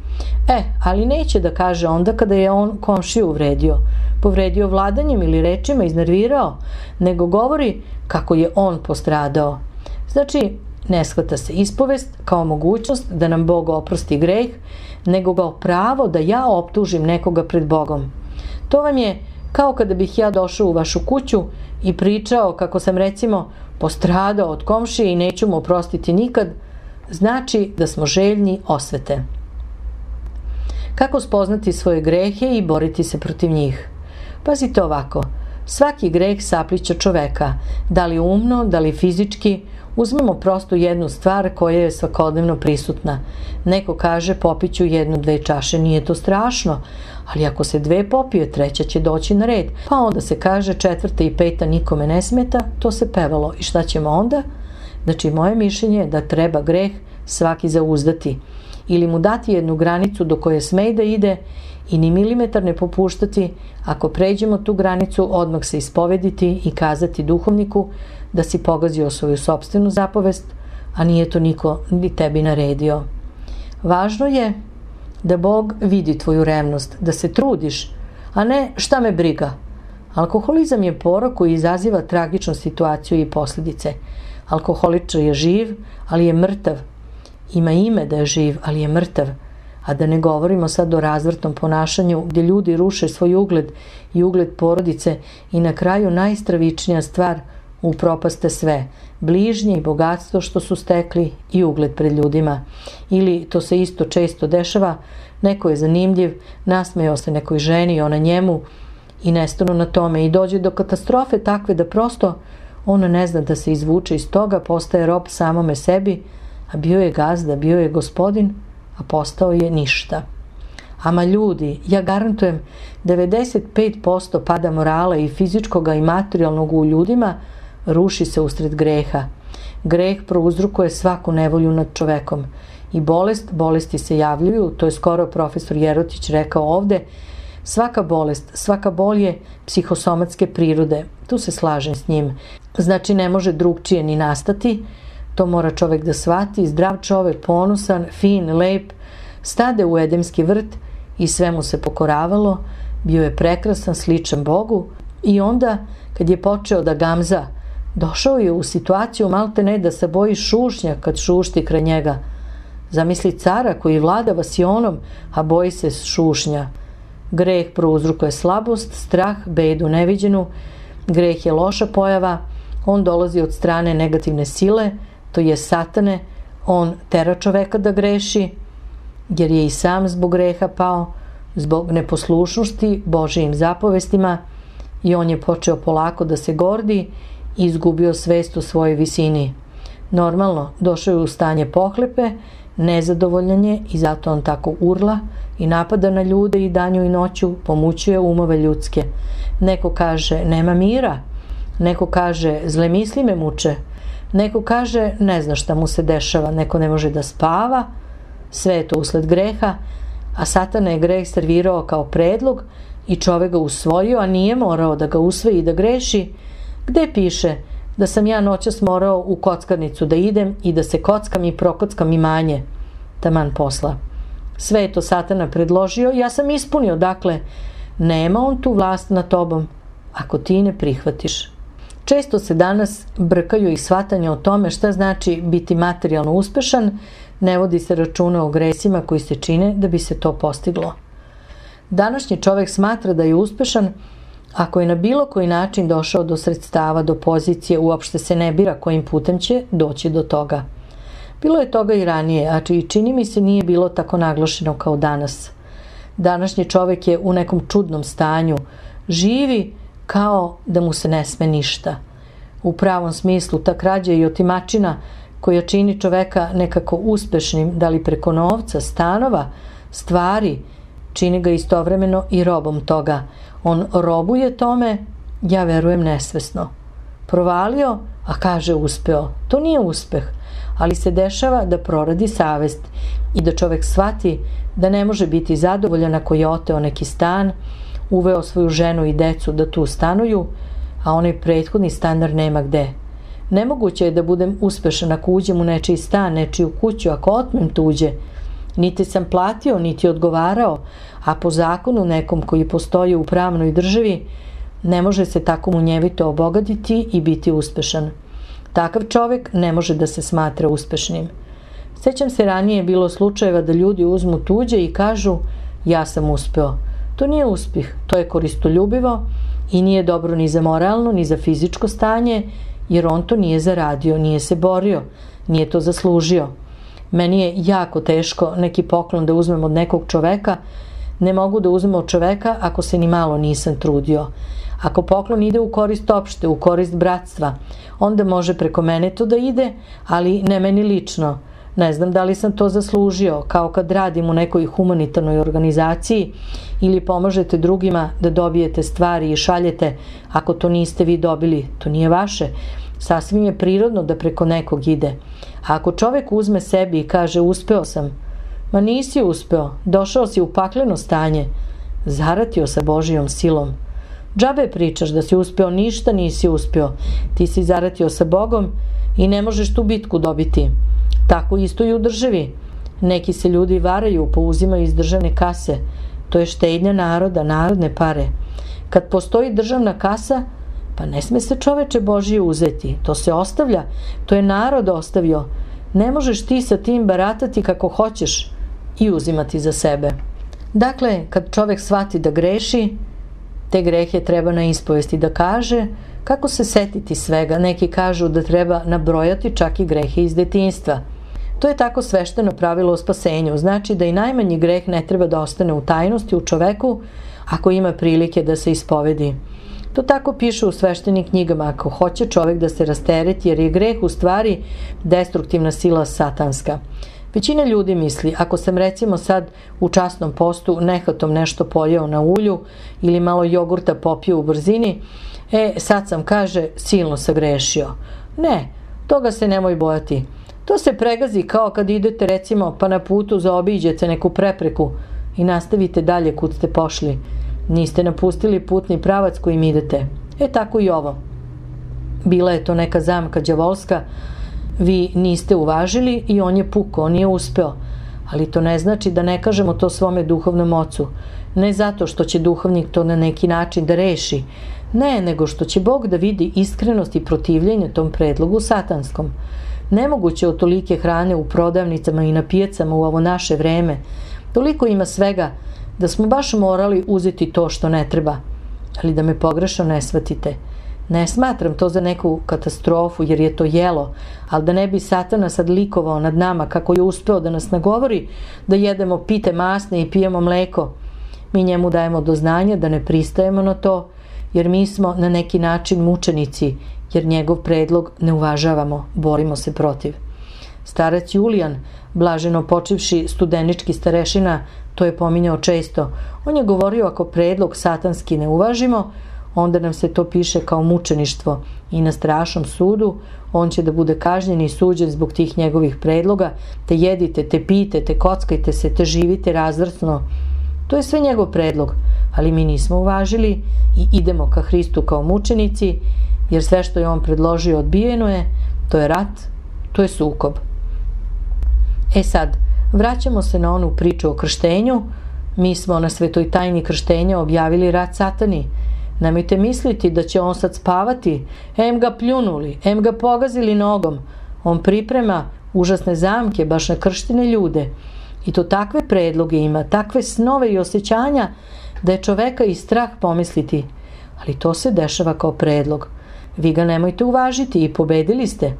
Speaker 1: E, ali neće da kaže onda kada je on komšiju uvredio, povredio vladanjem ili rečima, iznervirao, nego govori kako je on postradao. Znači, ne shvata se ispovest kao mogućnost da nam Bog oprosti greh, nego kao pravo da ja optužim nekoga pred Bogom. To vam je kao kada bih ja došao u vašu kuću i pričao kako sam recimo postradao od komšije i neću mu oprostiti nikad, znači da smo željni osvete. Kako spoznati svoje grehe i boriti se protiv njih? Pazite ovako, svaki greh saplića čoveka, da li umno, da li fizički. Uzmemo prosto jednu stvar koja je svakodnevno prisutna. Neko kaže popiću jednu, dve čaše, nije to strašno, ali ako se dve popije, treća će doći na red. Pa onda se kaže četvrta i peta nikome ne smeta, to se pevalo. I šta ćemo onda? Znači, moje mišljenje je da treba greh svaki zauzdati ili mu dati jednu granicu do koje sme da ide i ni milimetar ne popuštati. Ako pređemo tu granicu, odmah se ispovediti i kazati duhovniku da si pogazio svoju sopstvenu zapovest, a nije to niko ni tebi naredio. Važno je da Bog vidi tvoju revnost, da se trudiš, a ne šta me briga. Alkoholizam je porok koji izaziva tragičnu situaciju i posljedice. Alkoholičar je živ, ali je mrtav. Ima ime da je živ, ali je mrtav. A da ne govorimo sad o razvrtnom ponašanju gdje ljudi ruše svoj ugled i ugled porodice i na kraju najstravičnija stvar, upropaste sve, bližnje i bogatstvo što su stekli i ugled pred ljudima. Ili, to se isto često dešava, neko je zanimljiv, nasmejao se nekoj ženi i ona njemu i nestanu na tome i dođe do katastrofe takve da prosto ona ne zna da se izvuče iz toga, postaje rob samome sebi, a bio je gazda, bio je gospodin, a postao je ništa. Ama ljudi, ja garantujem, devedeset pet posto pada morala i fizičkog i materijalnog u ljudima ruši se usred greha. Greh prouzrokuje svaku nevolju nad čovekom. I bolest, bolesti se javljaju, to je skoro profesor Jerotić rekao ovde, svaka bolest, svaka bol je psihosomatske prirode. Tu se slažem s njim. Znači ne može drugčije ni nastati, to mora čovek da shvati, zdrav čovek, ponosan, fin, lep, stade u edemski vrt i sve mu se pokoravalo, bio je prekrasan, sličan Bogu i onda kad je počeo da gamza, došao je u situaciju malte ne da se boji šušnja kad šušti kraj njega. Zamisli cara koji vlada vasionom, a boji se šušnja. Greh prouzrokuje slabost, strah, bedu neviđenu, greh je loša pojava, on dolazi od strane negativne sile, to je satane, on tera čoveka da greši, jer je i sam zbog greha pao, zbog neposlušnosti Božijim zapovestima i on je počeo polako da se gordi i izgubio svest o svojoj visini. Normalno, došao je u stanje pohlepe, nezadovoljan je i zato on tako urla i napada na ljude i danju i noću, pomućuje umove ljudske. Neko kaže nema mira, neko kaže zle misli me muče, neko kaže ne zna šta mu se dešava, neko ne može da spava, sve je to usled greha, a Satana je greh servirao kao predlog i čovek ga usvojio, a nije morao da ga usvoji i da greši. Gde piše da sam ja noćas morao u kockarnicu da idem i da se kockam i prokockam imanje? Taman posla. Sve je to Satana predložio, ja sam ispunio, dakle, nema on tu vlast nad tobom, ako ti ne prihvatiš. Često se danas brkaju i shvatanje o tome šta znači biti materijalno uspešan, ne vodi se računa o gresima koji se čine da bi se to postiglo. Današnji čovek smatra da je uspešan ako je na bilo koji način došao do sredstava, do pozicije, uopšte se ne bira kojim putem će doći do toga. Bilo je toga i ranije, a i čini mi se nije bilo tako naglašeno kao danas. Današnji čovek je u nekom čudnom stanju, živi kao da mu se ne sme ništa. U pravom smislu ta krađa i otimačina koja čini čoveka nekako uspešnim, da li preko novca, stanova, stvari, čini ga istovremeno i robom toga. On robuje tome, ja verujem nesvesno. Provalio, a kaže uspeo. To nije uspeh, ali se dešava da proradi savest i da čovek shvati da ne može biti zadovoljan ako je oteo neki stan, uveo svoju ženu i decu da tu stanuju, a onaj prethodni stanar nema gde. Nemoguće je da budem uspešan ako uđem u nečiji stan, nečiju kuću, ako otmem tuđe. Niti sam platio, niti odgovarao, a po zakonu nekom koji postoji u pravnoj državi, ne može se tako munjevito obogatiti i biti uspešan. Takav čovek ne može da se smatra uspešnim. Sećam se, ranije je bilo slučajeva da ljudi uzmu tuđe i kažu ja sam uspeo. To nije uspeh, to je koristoljubivo i nije dobro ni za moralno, ni za fizičko stanje, jer on to nije zaradio, nije se borio, nije to zaslužio. Meni je jako teško neki poklon da uzmem od nekog čoveka, ne mogu da uzmem od čoveka ako se ni malo nisam trudio. Ako poklon ide u korist opšte, u korist bratstva, onda može preko mene to da ide, ali ne meni lično. Ne znam da li sam to zaslužio, kao kad radim u nekoj humanitarnoj organizaciji ili pomažete drugima da dobijete stvari i šaljete, ako to niste vi dobili, to nije vaše. Sasvim je prirodno da preko nekog ide. A ako čovek uzme sebi i kaže uspeo sam, ma nisi uspeo, došao si u pakleno stanje, zaratio sa Božijom silom. Džabe pričaš da si uspeo, ništa nisi uspeo, ti si zaratio sa Bogom i ne možeš tu bitku dobiti. Tako isto i u državi. Neki se ljudi varaju, pouzimaju iz državne kase. To je štednja naroda, narodne pare. Kad postoji državna kasa, pa ne sme se čoveče Božije uzeti. To se ostavlja, to je narod ostavio. Ne možeš ti sa tim baratati kako hoćeš i uzimati za sebe. Dakle, kad čovek shvati da greši, Te grehe treba na ispovesti da kaže. Kako se setiti svega? Neki kažu da treba nabrojati čak i grehe iz detinjstva. To je tako svešteno pravilo o spasenju. Znači da i najmanji greh ne treba da ostane u tajnosti u čoveku ako ima prilike da se ispovedi. To tako piše u sveštenim knjigama. Ako hoće čovek da se rastereti, jer je greh u stvari destruktivna sila satanska. Većina ljudi misli, ako sam recimo sad u časnom postu nehatom nešto pojeo na ulju ili malo jogurta popio u brzini, e, sad sam, kaže, silno sagrešio. Ne, toga se nemoj bojati. To se pregazi kao kad idete recimo pa na putu zaobiđete neku prepreku i nastavite dalje kud ste pošli. Niste napustili putni pravac kojim idete. E tako i ovo. Bila je to neka zamka đavolska, vi niste uvažili i on je pukao, on je uspeo. Ali to ne znači da ne kažemo to svome duhovnom ocu. Ne zato što će duhovnik to na neki način da reši. Ne, nego što će Bog da vidi iskrenost i protivljenje tom predlogu satanskom. Nemoguće od tolike hrane u prodavnicama i na pijacama u ovo naše vreme. Toliko ima svega da smo baš morali uzeti to što ne treba. Ali da me pogrešno ne shvatite. Ne smatram to za neku katastrofu jer je to jelo, ali da ne bi Satana sad likovao nad nama kako je uspeo da nas nagovori da jedemo pite masne i pijemo mleko. Mi njemu dajemo do znanja da ne pristajemo na to jer mi smo na neki način mučenici jer njegov predlog ne uvažavamo, borimo se protiv. Starac Julijan, blaženo počivši studenički starešina, to je pominjao često. On je govorio ako predlog satanski ne uvažimo, onda nam se to piše kao mučeništvo i na strašnom sudu on će da bude kažnjen i suđen zbog tih njegovih predloga, te jedite, te pijte, te kockajte se, te živite razvrsno. To je sve njegov predlog, ali mi nismo uvažili i idemo ka Hristu kao mučenici, jer sve što je on predložio odbijeno je, to je rat, to je sukob. E sad, vraćamo se na onu priču o krštenju. Mi smo na svetoj tajni krštenja objavili rat satani. Nemojte misliti da će on sad spavati, em ga pljunuli, em ga pogazili nogom. On priprema užasne zamke baš na krštene ljude. I to takve predloge ima, takve snove i osjećanja da je čoveka i strah pomisliti. Ali to se dešava kao predlog. Vi ga nemojte uvažiti i pobedili ste.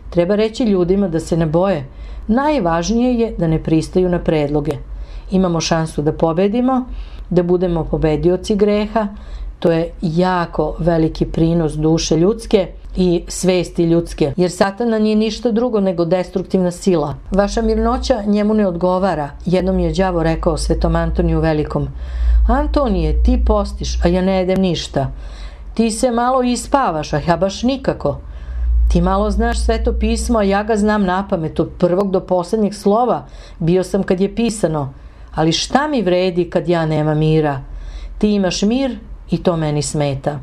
Speaker 1: Treba reći ljudima da se ne boje. Najvažnije je da ne pristaju na predloge. Imamo šansu da pobedimo, da budemo pobedioci greha. To je jako veliki prinos duše ljudske i svesti ljudske, jer Satana nije ništa drugo nego destruktivna sila. Vaša mirnoća njemu ne odgovara. Jednom je đavo rekao Svetom Antoniju Velikom: Antonije, ti postiš, a ja ne jedem ništa. Ti se malo ispavaš, a ja baš nikako. Ti malo znaš Sveto pismo, a ja ga znam napamet od prvog do poslednjeg slova. Bio sam kad je pisano. Ali šta mi vredi kad ja nemam mira? Ti imaš mir i to meni smeta.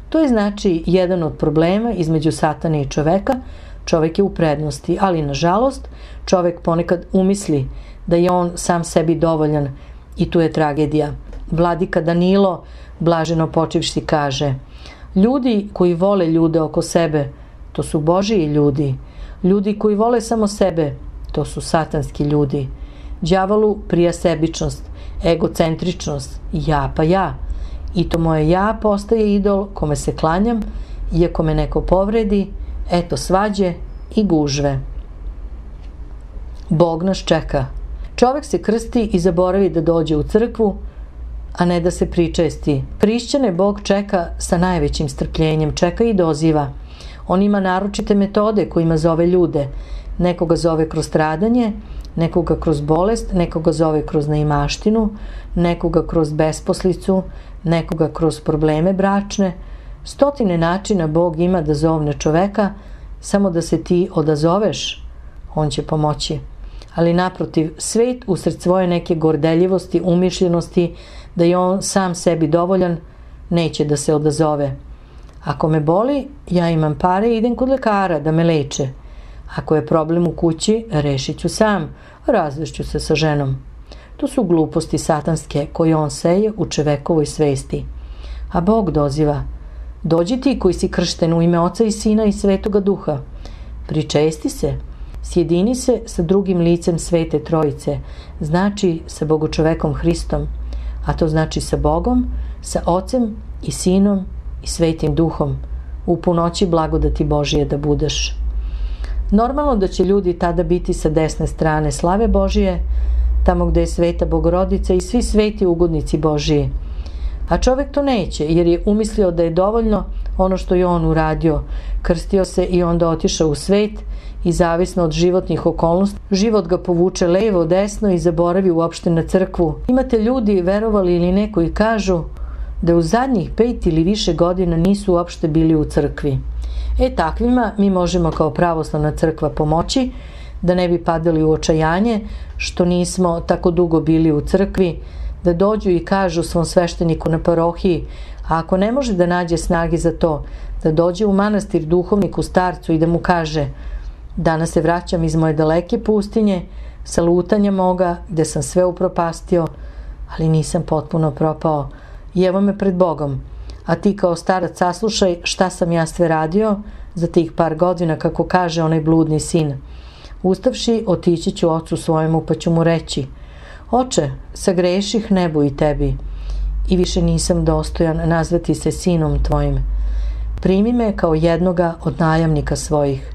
Speaker 1: To je znači jedan od problema između Satane i čoveka. Čovek je u prednosti, ali nažalost čovek ponekad umisli da je on sam sebi dovoljan i tu je tragedija. Vladika Danilo, blaženo počivši, kaže: ljudi koji vole ljude oko sebe, to su Božiji ljudi. Ljudi koji vole samo sebe, to su satanski ljudi. Đavolu prija sebičnost, egocentričnost, ja pa ja. I to moje ja postaje idol kome se klanjam, iako me neko povredi, eto svađe i gužve. Bog nas čeka. Čovek se krsti i zaboravi da dođe u crkvu, a ne da se pričesti. Hrišćane Bog čeka sa najvećim strpljenjem, čeka i doziva. On ima naročite metode kojima zove ljude. Nekoga zove kroz stradanje, nekoga kroz bolest, nekoga zove kroz neimaštinu, nekoga kroz besposlicu, nekoga kroz probleme bračne. Stotine načina Bog ima da zovne čoveka, samo da se ti odazoveš, on će pomoći. Ali naprotiv, svet usred svoje neke gordeljivosti, umišljenosti, da je on sam sebi dovoljan, neće da se odazove. Ako me boli, ja imam pare i idem kod lekara da me leče. Ako je problem u kući, rešit ću sam, razvešću se sa ženom. To su gluposti satanske koje on seje u čovekovoj svesti. A Bog doziva: dođi ti koji si kršten u ime Oca i Sina i Svetoga Duha. Pričesti se, sjedini se sa drugim licem Svete Trojice, znači sa Bogočovekom Hristom, a to znači sa Bogom, sa Ocem i Sinom i Svetim Duhom, u punoći blagodati Božije da budeš. Normalno da će ljudi tada biti sa desne strane slave Božije, tamo gde je Sveta Bogorodica i svi sveti ugodnici Božiji. A čovek to neće, jer je umislio da je dovoljno ono što je on uradio. Krstio se i onda otišao u svet i zavisno od životnih okolnosti, život ga povuče levo, desno i zaboravi uopšte na crkvu. Imate ljudi, verovali ili ne, koji kažu da u zadnjih pet ili više godina nisu uopšte bili u crkvi. E, takvima mi možemo kao pravoslavna crkva pomoći da ne bi padali u očajanje što nismo tako dugo bili u crkvi, da dođu i kažu svom svešteniku na parohiji, a ako ne može da nađe snage za to, da dođe u manastir duhovniku starcu i da mu kaže: danas se vraćam iz moje daleke pustinje, sa lutanja moga, gde sam sve upropastio, ali nisam potpuno propao. I evo me pred Bogom, a ti kao starac saslušaj šta sam ja sve radio za tih par godina, kako kaže onaj bludni sin. Ustavši, otići ću ocu svojemu pa ću mu reći: Oče, sagreših nebu i tebi i više nisam dostojan nazvati se sinom tvojim. Primi me kao jednoga od najamnika svojih.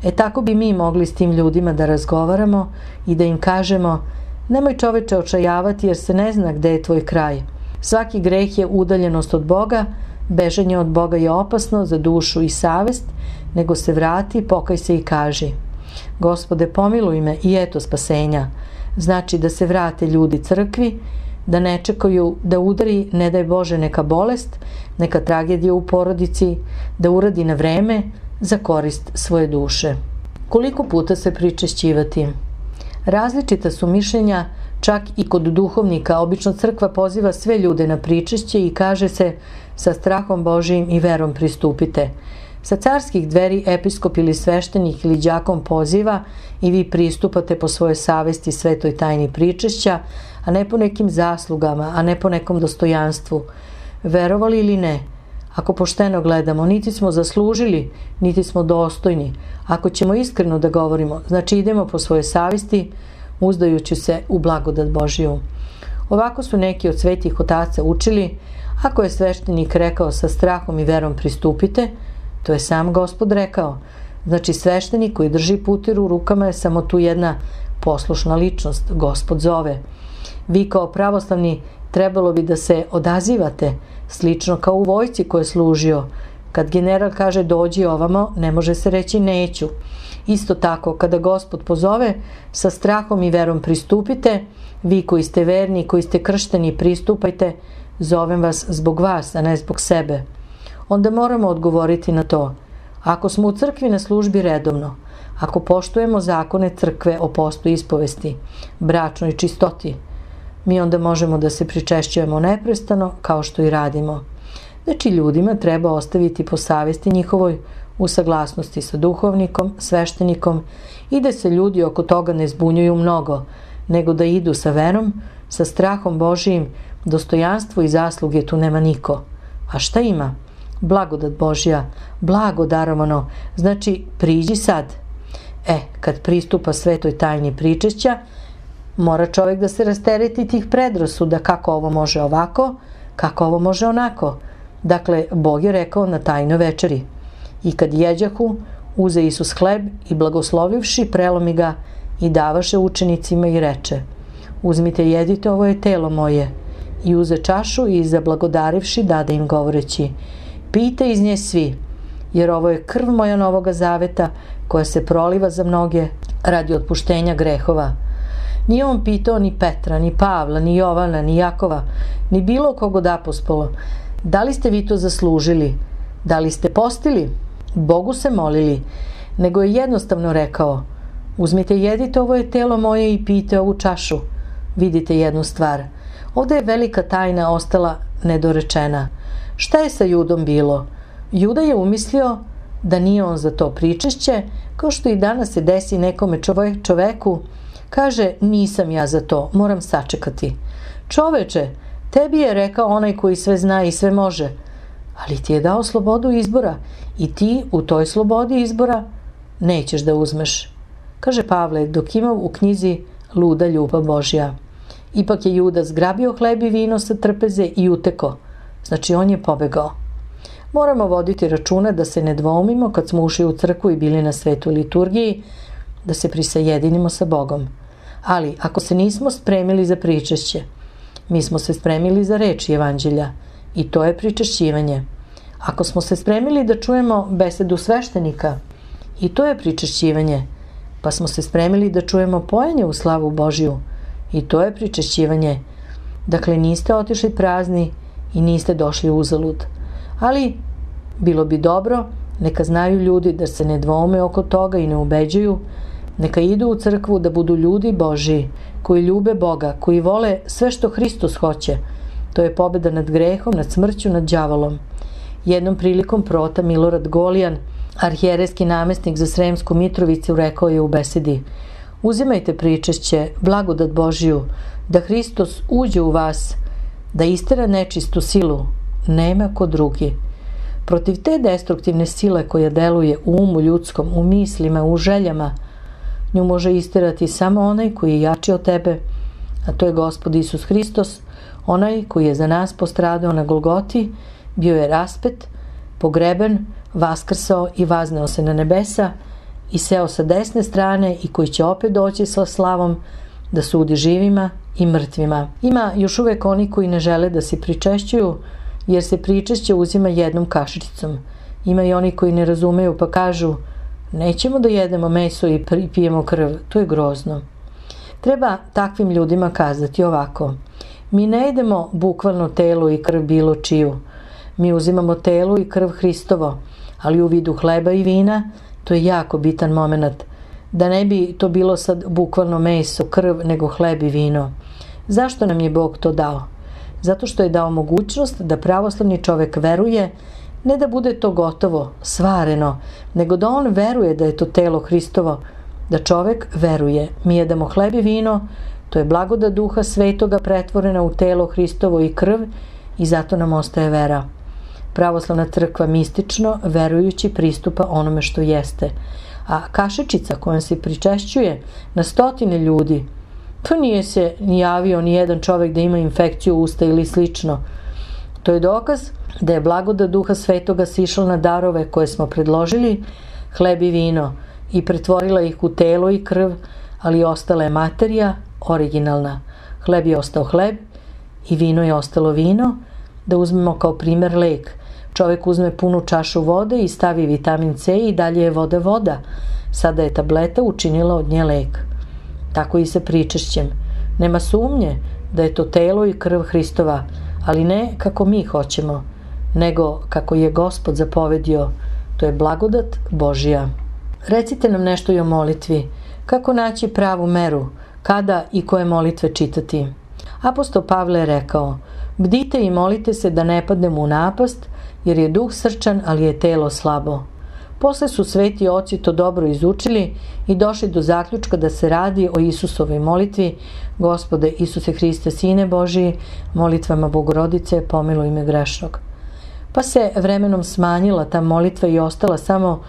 Speaker 1: E, tako bi mi mogli s tim ljudima da razgovaramo i da im kažemo: nemoj čoveče očajavati, jer se ne zna gde je tvoj kraj. Svaki greh je udaljenost od Boga, bežanje od Boga je opasno za dušu i savest, nego se vrati, pokaj se i kaži: Gospode, pomiluj me, i eto spasenja. Znači da se vrate ljudi crkvi, da ne čekaju da udari, ne daj Bože, neka bolest, neka tragedija u porodici, da uradi na vreme za korist svoje duše. Koliko puta se pričešćivati? Različita su mišljenja, čak i kod duhovnika. Obično crkva poziva sve ljude na pričešće i kaže se: sa strahom Božijim i verom pristupite. Sa carskih dveri episkop ili sveštenik ili đakon poziva i vi pristupate po svojoj savesti svetoj tajni pričešća, a ne po nekim zaslugama, a ne po nekom dostojanstvu. Verovali ili ne, ako pošteno gledamo, niti smo zaslužili, niti smo dostojni. Ako ćemo iskreno da govorimo, znači idemo po svojoj savesti, uzdajući se u blagodat Božiju. Ovako su neki od svetih otaca učili: ako je sveštenik rekao sa strahom i verom pristupite, to je sam Gospod rekao. Znači sveštenik koji drži putir u rukama je samo tu jedna poslušna ličnost, Gospod zove. Vi kao pravoslavni trebalo bi da se odazivate, slično kao u vojsci koje je služio. Kad general kaže dođi ovamo, ne može se reći neću. Isto tako, kada Gospod pozove, sa strahom i verom pristupite, vi koji ste verni, koji ste kršteni, pristupajte, zovem vas zbog vas, a ne zbog sebe. Onda moramo odgovoriti na to: ako smo u crkvi na službi redovno, ako poštujemo zakone crkve o postu ispovesti, bračnoj čistoti, mi onda možemo da se pričešćujemo neprestano, kao što i radimo. Znači, ljudima treba ostaviti po savesti njihovoj, u saglasnosti sa duhovnikom, sveštenikom, i da se ljudi oko toga ne zbunjuju mnogo, nego da idu sa verom, sa strahom Božijim. Dostojanstvo i zasluge tu nema niko. A šta ima? Blagodat Božja, blago darovano, znači priđi sad. E, kad pristupa svetoj tajni pričešća, mora čovjek da se rastereti tih predrasuda, kako ovo može ovako, kako ovo može onako. Dakle, Bog je rekao na tajnoj večeri: i kad jeđahu, uze Isus hleb i blagoslovivši, prelomi ga i davaše učenicima i reče: uzmite, jedite, ovo je telo moje. I uze čašu i zablagodarivši dade im govoreći: pijte iz nje svi, jer ovo je krv moja novoga zaveta, koja se proliva za mnoge radi otpuštenja grehova. Nije on pitao ni Petra, ni Pavla, ni Jovana, ni Jakova, ni bilo kog od apostola: da li ste vi to zaslužili? Da li ste postili? Bogu se molili? Nego je jednostavno rekao: uzmite, jedite, ovo je telo moje, i pijte ovu čašu. Vidite jednu stvar. Ovdje je velika tajna ostala nedorečena. Šta je sa Judom bilo? Juda je umislio da nije on za to pričešće, kao što i danas se desi nekome čoveku, kaže: nisam ja za to, moram sačekati. Čoveče, tebi je rekao onaj koji sve zna i sve može, ali ti je dao slobodu izbora i ti u toj slobodi izbora nećeš da uzmeš. Kaže Pavle Dokimov u knjizi Luda ljubav Božja. Ipak je Juda zgrabio hleb i vino sa trpeze i uteko. Znači on je pobegao. Moramo voditi računa da se ne dvoumimo kad smo ušli u crkvu i bili na svetoj liturgiji, da se prisajedinimo sa Bogom. Ali ako se nismo spremili za pričešće, mi smo se spremili za reč evanđelja i to je pričešćivanje. Ako smo se spremili da čujemo besedu sveštenika, i to je pričešćivanje. Pa smo se spremili da čujemo pojenje u slavu Božiju, i to je pričešćivanje. Dakle, niste otišli prazni i niste došli uzalud. Ali bilo bi dobro, neka znaju ljudi da se ne dvoume oko toga i ne ubeđuju, neka idu u crkvu da budu ljudi Božiji, koji ljube Boga, koji vole sve što Hristos hoće. To je pobeda nad grehom, nad smrću, nad đavolom. Jednom prilikom prota Milorad Golijan, arhijerejski namestnik za Sremsku Mitrovicu, rekao je u besedi: uzimajte pričešće, blagodat Božiju, da Hristos uđe u vas, da istera nečistu silu, nema ko drugi. Protiv te destruktivne sile koja deluje u umu ljudskom, u mislima, u željama, nju može isterati samo onaj koji je jači od tebe, a to je Gospod Isus Hristos, onaj koji je za nas postradao na Golgoti, bio je raspet, pogreben, vaskrsao i vazneo se na nebesa i seo sa desne strane i koji će opet doći sa slavom da sudi živima i mrtvima. Ima još uvek oni koji ne žele da se pričešćuju, jer se pričešće uzima jednom kašičicom. Ima i oni koji ne razumeju pa kažu: nećemo da jedemo meso i pijemo krv, to je grozno. Treba takvim ljudima kazati ovako: mi ne jedemo bukvalno telo i krv bilo čiju. Mi uzimamo telo i krv Hristovo, ali u vidu hleba i vina. To je jako bitan moment. Da ne bi to bilo sad bukvalno meso, krv, nego hleb i vino. Zašto nam je Bog to dao? Zato što je dao mogućnost da pravoslavni čovek veruje, ne da bude to gotovo, svareno, nego da on veruje da je to telo Hristovo, da čovek veruje. Mi jedemo hleb i vino, to je blagodat Duha Svetoga pretvorena u telo Hristovo i krv, i zato nam ostaje vera. Pravoslavna crkva mistično, verujući, pristupa onome što jeste. A kašičica kojom se pričešćuje na stotine ljudi, pa nije se ni javio ni jedan čovek da ima infekciju usta ili slično. To je dokaz da je blagodat Duha Svetoga sišla na darove koje smo predložili, hleb i vino, i pretvorila ih u telo i krv, ali ostala je materija originalna. Hleb je ostao hleb i vino je ostalo vino. Da uzmemo kao primer lek. Čovek uzme punu čašu vode i stavi vitamin C i dalje je voda voda. Sada je tableta učinila od nje lek. Tako i sa pričešćem. Nema sumnje da je to telo i krv Hristova, ali ne kako mi hoćemo, nego kako je Gospod zapovedio. To je blagodat Božja. Recite nam nešto i o molitvi. Kako naći pravu meru? Kada i koje molitve čitati? Apostol Pavle je rekao: bdite i molite se da ne padnemo u napast, jer je duh srčan, ali je telo slabo. Posle su sveti oci to dobro izučili i došli do zaključka da se radi o Isusovoj molitvi: Gospode Isuse Hriste, Sine Božiji, molitvama Bogorodice, pomiluj me grešnog. Pa se vremenom smanjila ta molitva i ostala samo: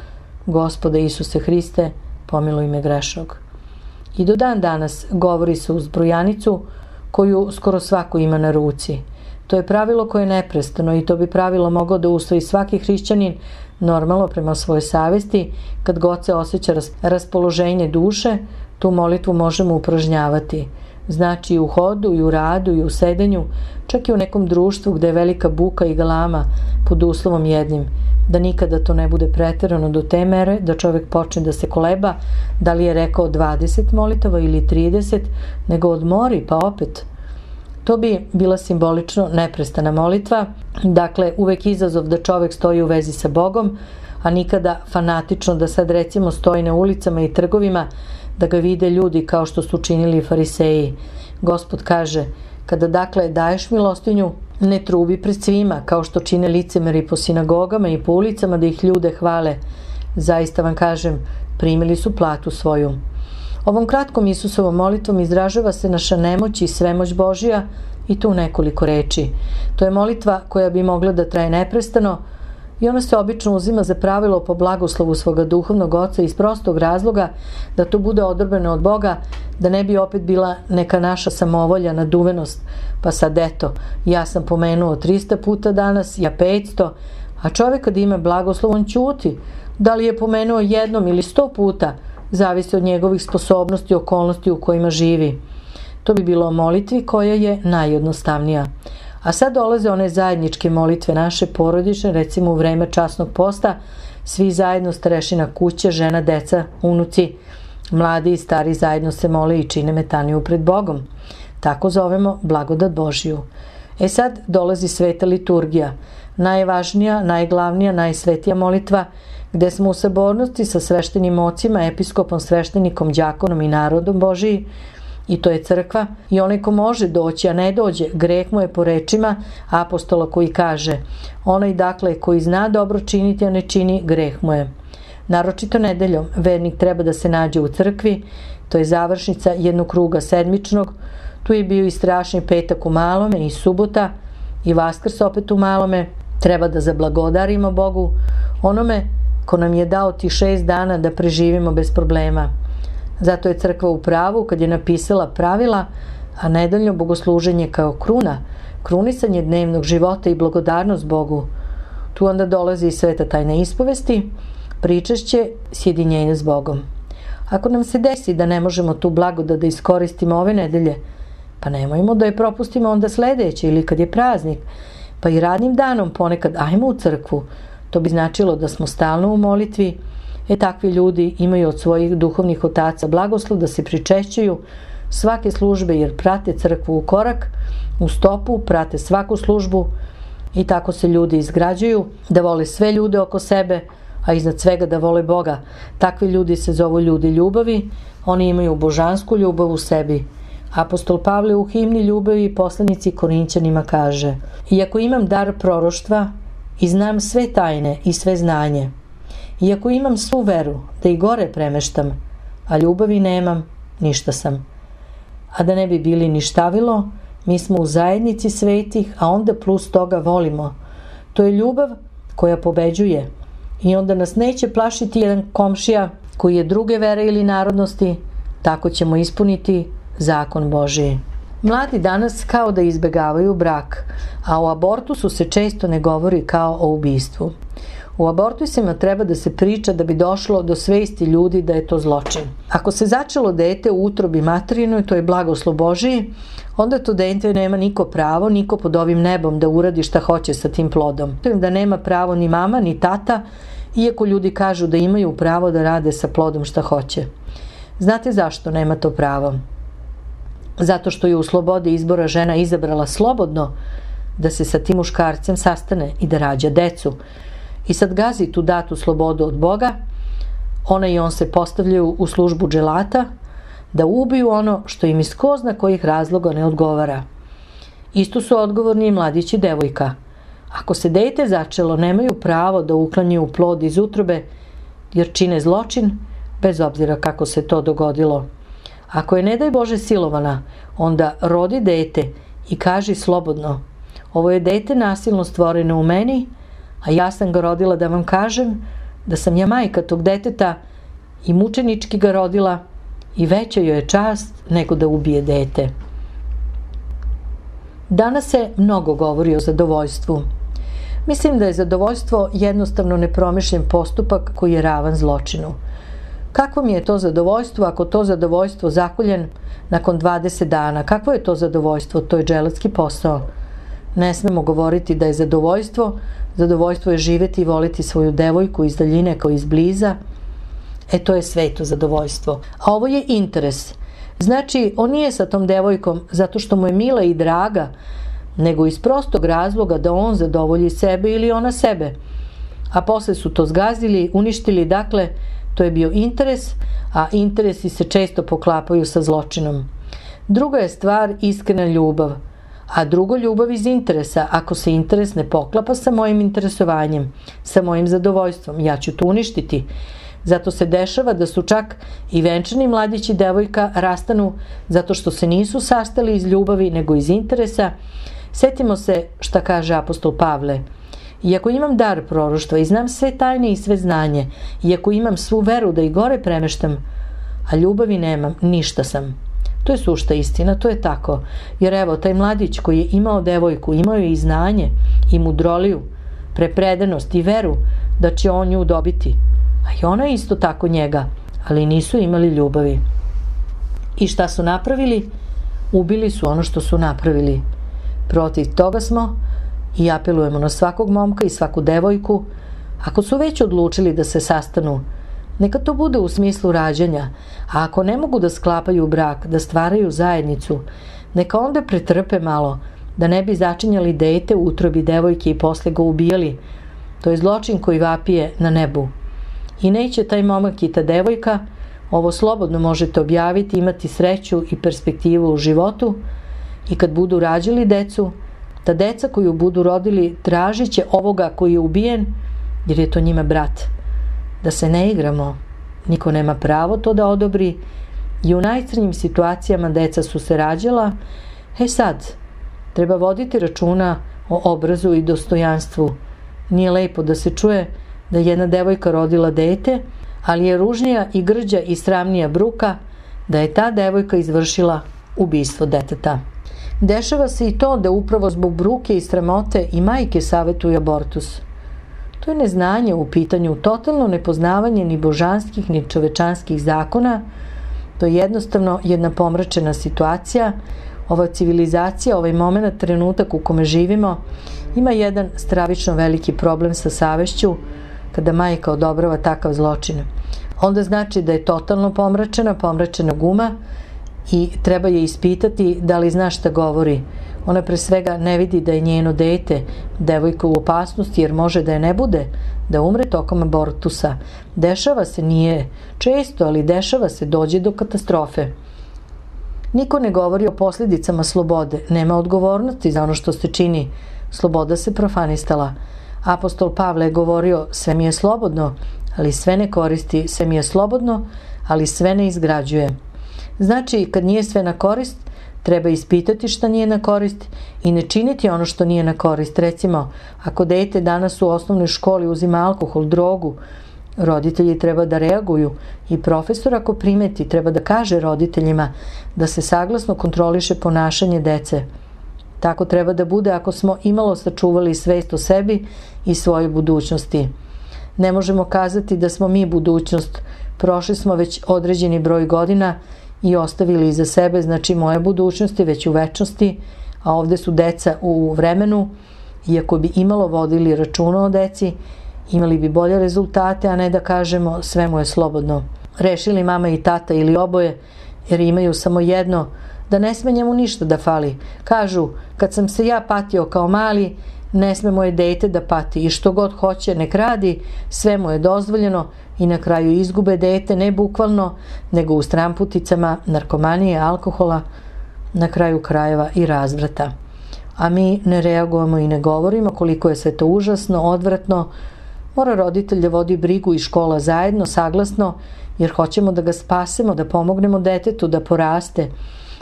Speaker 1: Gospode Isuse Hriste, pomiluj me grešnog. I do dan danas govori se uz brojanicu koju skoro svako ima na ruci. To je pravilo koje je neprestano i to bi pravilo mogao da usvoji svaki hrišćanin normalno prema svojoj savesti. Kad god se osjeća raspoloženje duše, tu molitvu možemo upražnjavati. Znači i u hodu, i u radu, i u sedenju, čak i u nekom društvu gde je velika buka i galama, pod uslovom jednim: da nikada to ne bude preterano do te mere da čovek počne da se koleba da li je rekao dvadeset molitava ili trideset, nego odmori pa opet. To bi bila simbolično neprestana molitva, dakle uvek izazov da čovek stoji u vezi sa Bogom, a nikada fanatično da sad recimo stoji na ulicama i trgovima da ga vide ljudi kao što su činili fariseji. Gospod kaže: kada dakle daješ milostinju, ne trubi pred svima kao što čine licemeri po sinagogama i po ulicama da ih ljude hvale. Zaista vam kažem, primili su platu svoju. Ovom kratkom Isusovom molitvom izražava se naša nemoć i svemoć Božja, i tu nekoliko reči. To je molitva koja bi mogla da traje neprestano, I ona se obično uzima za pravilo po blagoslovu svoga duhovnog oca iz prostog razloga da to bude odobljeno od Boga, da ne bi opet bila neka naša samovolja, naduvenost. Pa sad eto, ja sam pomenuo trista puta danas, ja petsto, a čovjek kad ima blagoslov on ćuti. Da li je pomenuo jednom ili sto puta, zavisi od njegovih sposobnosti i okolnosti u kojima živi. To bi bilo o molitvi koja je najjednostavnija. A sad dolaze one zajedničke molitve naše porodične, recimo u vreme časnog posta, svi zajedno, starešina kuće, žena, deca, unuci, mladi i stari zajedno se mole i čine metaniju pred Bogom. Tako zovemo blagodat Božiju. E sad dolazi sveta liturgija, najvažnija, najglavnija, najsvetija molitva, gde smo u sabornosti sa sveštenim ocima, episkopom, sveštenikom, đakonom i narodom Božiji, i to je crkva, i onaj ko može doći, a ne dođe, greh mu je po rečima apostola koji kaže: onaj dakle koji zna dobro činiti, a ne čini, greh mu je. Naročito nedeljom vernik treba da se nađe u crkvi, to je završnica jednog kruga sedmičnog, tu je bio i strašni petak u malome i subota i vaskrs opet u malome. Treba da zablagodarimo Bogu, onome ko nam je dao ti šest dana da preživimo bez problema. Zato je crkva u pravu kad je napisala pravila, a nedeljno bogosluženje kao kruna, krunisanje dnevnog života i blagodarnost Bogu. Tu onda dolazi i sveta tajna ispovesti, pričešće, sjedinjenje s Bogom. Ako nam se desi da ne možemo tu blagodat da iskoristimo ove nedelje, pa nemojmo da je propustimo onda sledeće ili kad je praznik, pa i radnim danom ponekad ajmo u crkvu. To bi značilo da smo stalno u molitvi. E takvi ljudi imaju od svojih duhovnih otaca blagoslov da se pričešćuju svake službe jer prate crkvu u korak, u stopu, prate svaku službu i tako se ljudi izgrađuju, da vole sve ljude oko sebe, a iznad svega da vole Boga. Takvi ljudi se zovu ljudi ljubavi, oni imaju božansku ljubav u sebi. Apostol Pavle u himni ljubavi i poslanici Korinćanima kaže: iako imam dar proroštva i znam sve tajne i sve znanje, iako imam svu veru da i gore premeštam, a ljubavi nemam, ništa sam. A da ne bi bili ništavilo, mi smo u zajednici svetih, a onda plus toga volimo. To je ljubav koja pobeđuje i onda nas neće plašiti jedan komšija koji je druge vere ili narodnosti, tako ćemo ispuniti zakon Božiji. Mladi danas kao da izbegavaju brak, a o abortusu se često ne govori kao o ubistvu. U abortusima treba da se priča da bi došlo do svesti ljudi da je to zločin. Ako se začelo dete u utrobi materinoj, to je blagoslov Božiji, onda to dete nema niko pravo, niko pod ovim nebom da uradi šta hoće sa tim plodom. Da nema pravo ni mama, ni tata, iako ljudi kažu da imaju pravo da rade sa plodom šta hoće. Znate zašto nema to pravo? Zato što je u slobodi izbora žena izabrala slobodno da se sa tim muškarcem sastane i da rađa decu. I sad gazi tu datu slobodu od Boga, ona i on se postavljaju u službu dželata da ubiju ono što im iz ko zna kojih razloga ne odgovara. Isto su odgovorni i mladić i devojka. Ako se dete začelo, nemaju pravo da uklanjaju plod iz utrobe, jer čine zločin, bez obzira kako se to dogodilo. Ako je ne daj Bože silovana, onda rodi dete i kaži slobodno: ovo je dete nasilno stvoreno u meni, a ja sam ga rodila da vam kažem da sam ja majka tog deteta i mučenički ga rodila i veća joj je čast nego da ubije dete. Danas se mnogo govori o zadovoljstvu. Mislim da je zadovoljstvo jednostavno nepromišljen postupak koji je ravan zločinu. Kakvo mi je to zadovoljstvo ako to zadovoljstvo zakoljen nakon dvadeset dana? Kakvo je to zadovoljstvo? To je dželatski posao. Ne smemo govoriti da je zadovoljstvo. Zadovoljstvo je živeti i voliti svoju devojku iz daljine kao iz bliza. E to je sveto zadovoljstvo. A ovo je interes. Znači, on nije sa tom devojkom zato što mu je mila i draga, nego iz prostog razloga da on zadovolji sebe ili ona sebe. A posle su to zgazili, uništili, dakle, to je bio interes, a interesi se često poklapaju sa zločinom. Druga je stvar iskrena ljubav, a drugo ljubav iz interesa. Ako se interes ne poklapa sa mojim interesovanjem, sa mojim zadovoljstvom, ja ću to uništiti. Zato se dešava da su čak i venčani mladić i devojka rastanu zato što se nisu sastali iz ljubavi nego iz interesa. Setimo se šta kaže apostol Pavle: Iako imam dar proroštva i znam sve tajne i sve znanje, iako imam svu veru da i gore premeštam, a ljubavi nemam, ništa sam. To je sušta istina, to je tako. Jer evo, taj mladić koji je imao devojku, imao je i znanje, i mudroliju, prepredanost i veru da će on nju dobiti. A i ona isto tako njega, ali nisu imali ljubavi. I šta su napravili? Ubili su ono što su napravili. Protiv toga smo i apelujemo na svakog momka i svaku devojku, ako su već odlučili da se sastanu, neka to bude u smislu rađanja, a ako ne mogu da sklapaju brak, da stvaraju zajednicu, neka onda pretrpe malo, da ne bi začinjali dete u utrobi devojke i posle ga ubijali. To je zločin koji vapije na nebu. I neće taj momak i ta devojka, ovo slobodno možete objaviti, imati sreću i perspektivu u životu, i kad budu rađali decu, ta deca koju budu rodili tražit će ovoga koji je ubijen, jer je to njima brat. Da se ne igramo, niko nema pravo to da odobri, i u najcrnjim situacijama deca su se rađala. E sad, treba voditi računa o obrazu i dostojanstvu. Nije lepo da se čuje da jedna devojka rodila dete, ali je ružnija i grđa i sramnija bruka da je ta devojka izvršila ubistvo deteta. Dešava se i to da upravo zbog bruke i sramote i majke savetuju abortus. To je neznanje u pitanju, totalno nepoznavanje ni božanskih ni čovečanskih zakona. To je jednostavno jedna pomračena situacija. Ova civilizacija, ovaj moment, trenutak u kome živimo, ima jedan stravično veliki problem sa savešću. Kada majka odobrava takav zločin, onda znači da je totalno pomračena, pomračena guma, i treba je ispitati da li zna šta govori. Ona pre svega ne vidi da je njeno dete, devojka, u opasnosti, jer može da je ne bude, da umre tokom abortusa. Dešava se, nije često, ali dešava se, dođe do katastrofe. Niko ne govori o posljedicama slobode, nema odgovornosti za ono što se čini. Sloboda se profanistala. Apostol Pavle je govorio, sve mi je slobodno, ali sve ne koristi, sve mi je slobodno, ali sve ne izgrađuje. Znači, kad nije sve na korist, treba ispitati šta nije na korist i ne činiti ono što nije na korist. Recimo, ako dete danas u osnovnoj školi uzima alkohol, drogu, roditelji treba da reaguju, i profesor ako primeti treba da kaže roditeljima da se saglasno kontroliše ponašanje dece. Tako treba da bude ako smo imalo sačuvali svest o sebi i svojoj budućnosti. Ne možemo kazati da smo mi budućnost, prošli smo već određeni broj godina i ostavili iza sebe, znači moje budućnosti već u večnosti, a ovde su deca u vremenu, i ako bi imalo vodili računa o deci, imali bi bolje rezultate, a ne da kažemo sve mu je slobodno. Rešili mama i tata ili oboje, jer imaju samo jedno, da ne sme njemu ništa da fali. Kažu, kad sam se ja patio kao mali, ne sme moje dete da pati, i što god hoće nek radi, sve mu je dozvoljeno, i na kraju izgube dete, ne bukvalno, nego u stramputicama, narkomanije, alkohola, na kraju krajeva i razvrata. A mi ne reagujemo i ne govorimo koliko je sve to užasno, odvratno. Mora roditelj da vodi brigu i škola zajedno, saglasno, jer hoćemo da ga spasemo, da pomognemo detetu da poraste.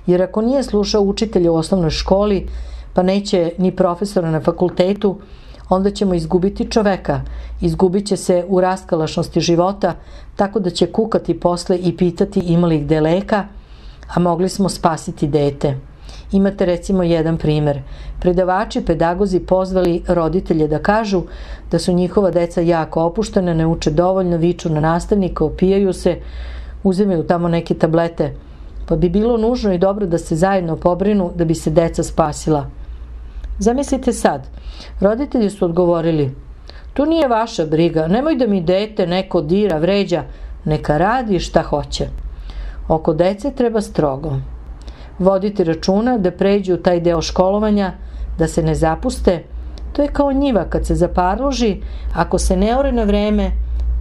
Speaker 1: Jer ako nije slušao učitelja u osnovnoj školi, pa neće ni profesora na fakultetu, onda ćemo izgubiti čoveka, izgubit će se u raskalašnosti života, tako da će kukati posle i pitati ima li gde leka, a mogli smo spasiti dete. Imate recimo jedan primer. Predavači, pedagozi pozvali roditelje da kažu da su njihova deca jako opuštena, ne uče dovoljno, viču na nastavnika, opijaju se, uzimaju tamo neke tablete. Pa bi bilo nužno i dobro da se zajedno pobrinu da bi se deca spasila. Zamislite sad, roditelji su odgovorili, tu nije vaša briga, nemoj da mi dete neko dira, vređa, neka radi šta hoće. Oko dece treba strogo voditi računa da pređu taj deo školovanja, da se ne zapuste. To je kao njiva kad se zaparloži, ako se ne ore na vreme,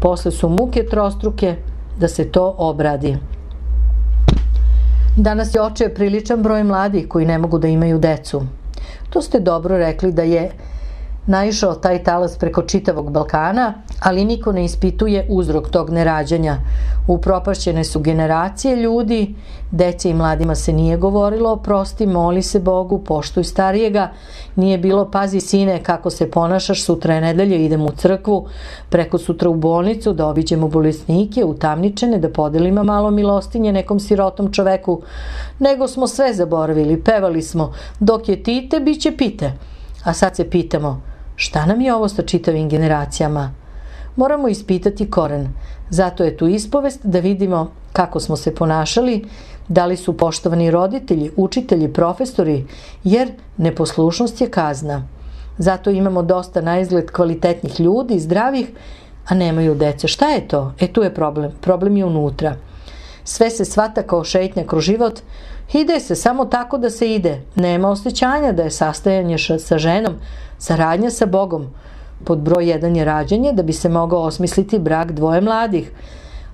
Speaker 1: posle su muke trostruke da se to obradi. Danas je oče priličan broj mladih koji ne mogu da imaju decu. To ste dobro rekli da je naišao taj talas preko čitavog Balkana, ali niko ne ispituje uzrok tog nerađanja. Upropašćene su generacije ljudi, dece i mladima se nije govorilo, prosti, moli se Bogu, poštuj starijega, nije bilo pazi sine kako se ponašaš, sutra je nedelje, idemo u crkvu, preko sutra u bolnicu da obiđemo bolesnike, utamničene, da podelimo malo milostinje nekom sirotom čoveku, nego smo sve zaboravili, pevali smo, dok je tite, bit će pite. A sad se pitamo, šta nam je ovo sa čitavim generacijama? Moramo ispitati koren. Zato je tu ispovest da vidimo kako smo se ponašali, da li su poštovani roditelji, učitelji, profesori, jer neposlušnost je kazna. Zato imamo dosta na izgled kvalitetnih ljudi, zdravih, a nemaju dece. Šta je to? E tu je problem. Problem je unutra. Sve se shvata kao šetnja kroz život, ide se samo tako da se ide. Nema osjećanja da je sastajanje sa ženom, saradnja sa Bogom. Pod broj jedan je rađanje da bi se mogao osmisliti brak dvoje mladih.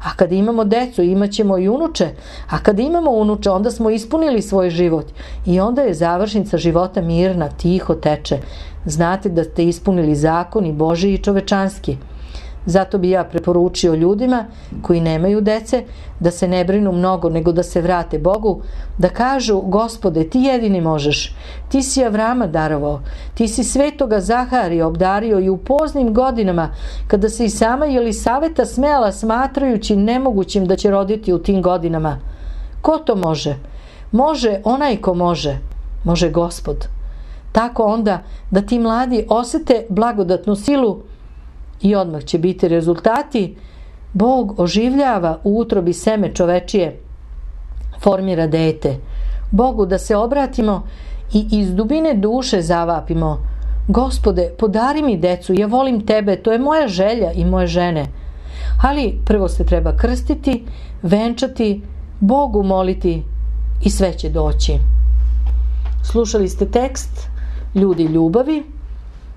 Speaker 1: A kada imamo decu, imat ćemo i unuče. A kada imamo unuče, onda smo ispunili svoj život. I onda je završnica života mirna, tiho teče. Znate da ste ispunili zakon i Božji i čovečanski. Zato bi ja preporučio ljudima koji nemaju dece da se ne brinu mnogo, nego da se vrate Bogu, da kažu, Gospode, ti jedini možeš, ti si Avrama darovao, ti si svetoga Zaharija obdario i u poznim godinama, kada se i sama Jelisaveta smejala smatrajući nemogućim da će roditi u tim godinama. Ko to može? Može onaj ko može. Može Gospod. Tako onda da ti mladi osete blagodatnu silu i odmah će biti rezultati. Bog oživljava u utrobi seme čovečije, formira dete. Bogu da se obratimo i iz dubine duše zavapimo, Gospode, podari mi decu, ja volim tebe, to je moja želja i moje žene. Ali prvo se treba krstiti, venčati, Bogu moliti i sve će doći. Slušali ste tekst Ljudi ljubavi.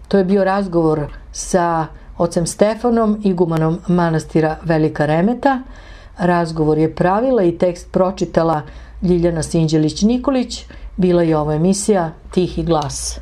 Speaker 1: To je bio razgovor sa ocem Stefanom, igumanom manastira Velika Remeta. Razgovor je pravila i tekst pročitala Ljiljana Sinđelić-Nikolić. Bila je ovo emisija Tihi glas.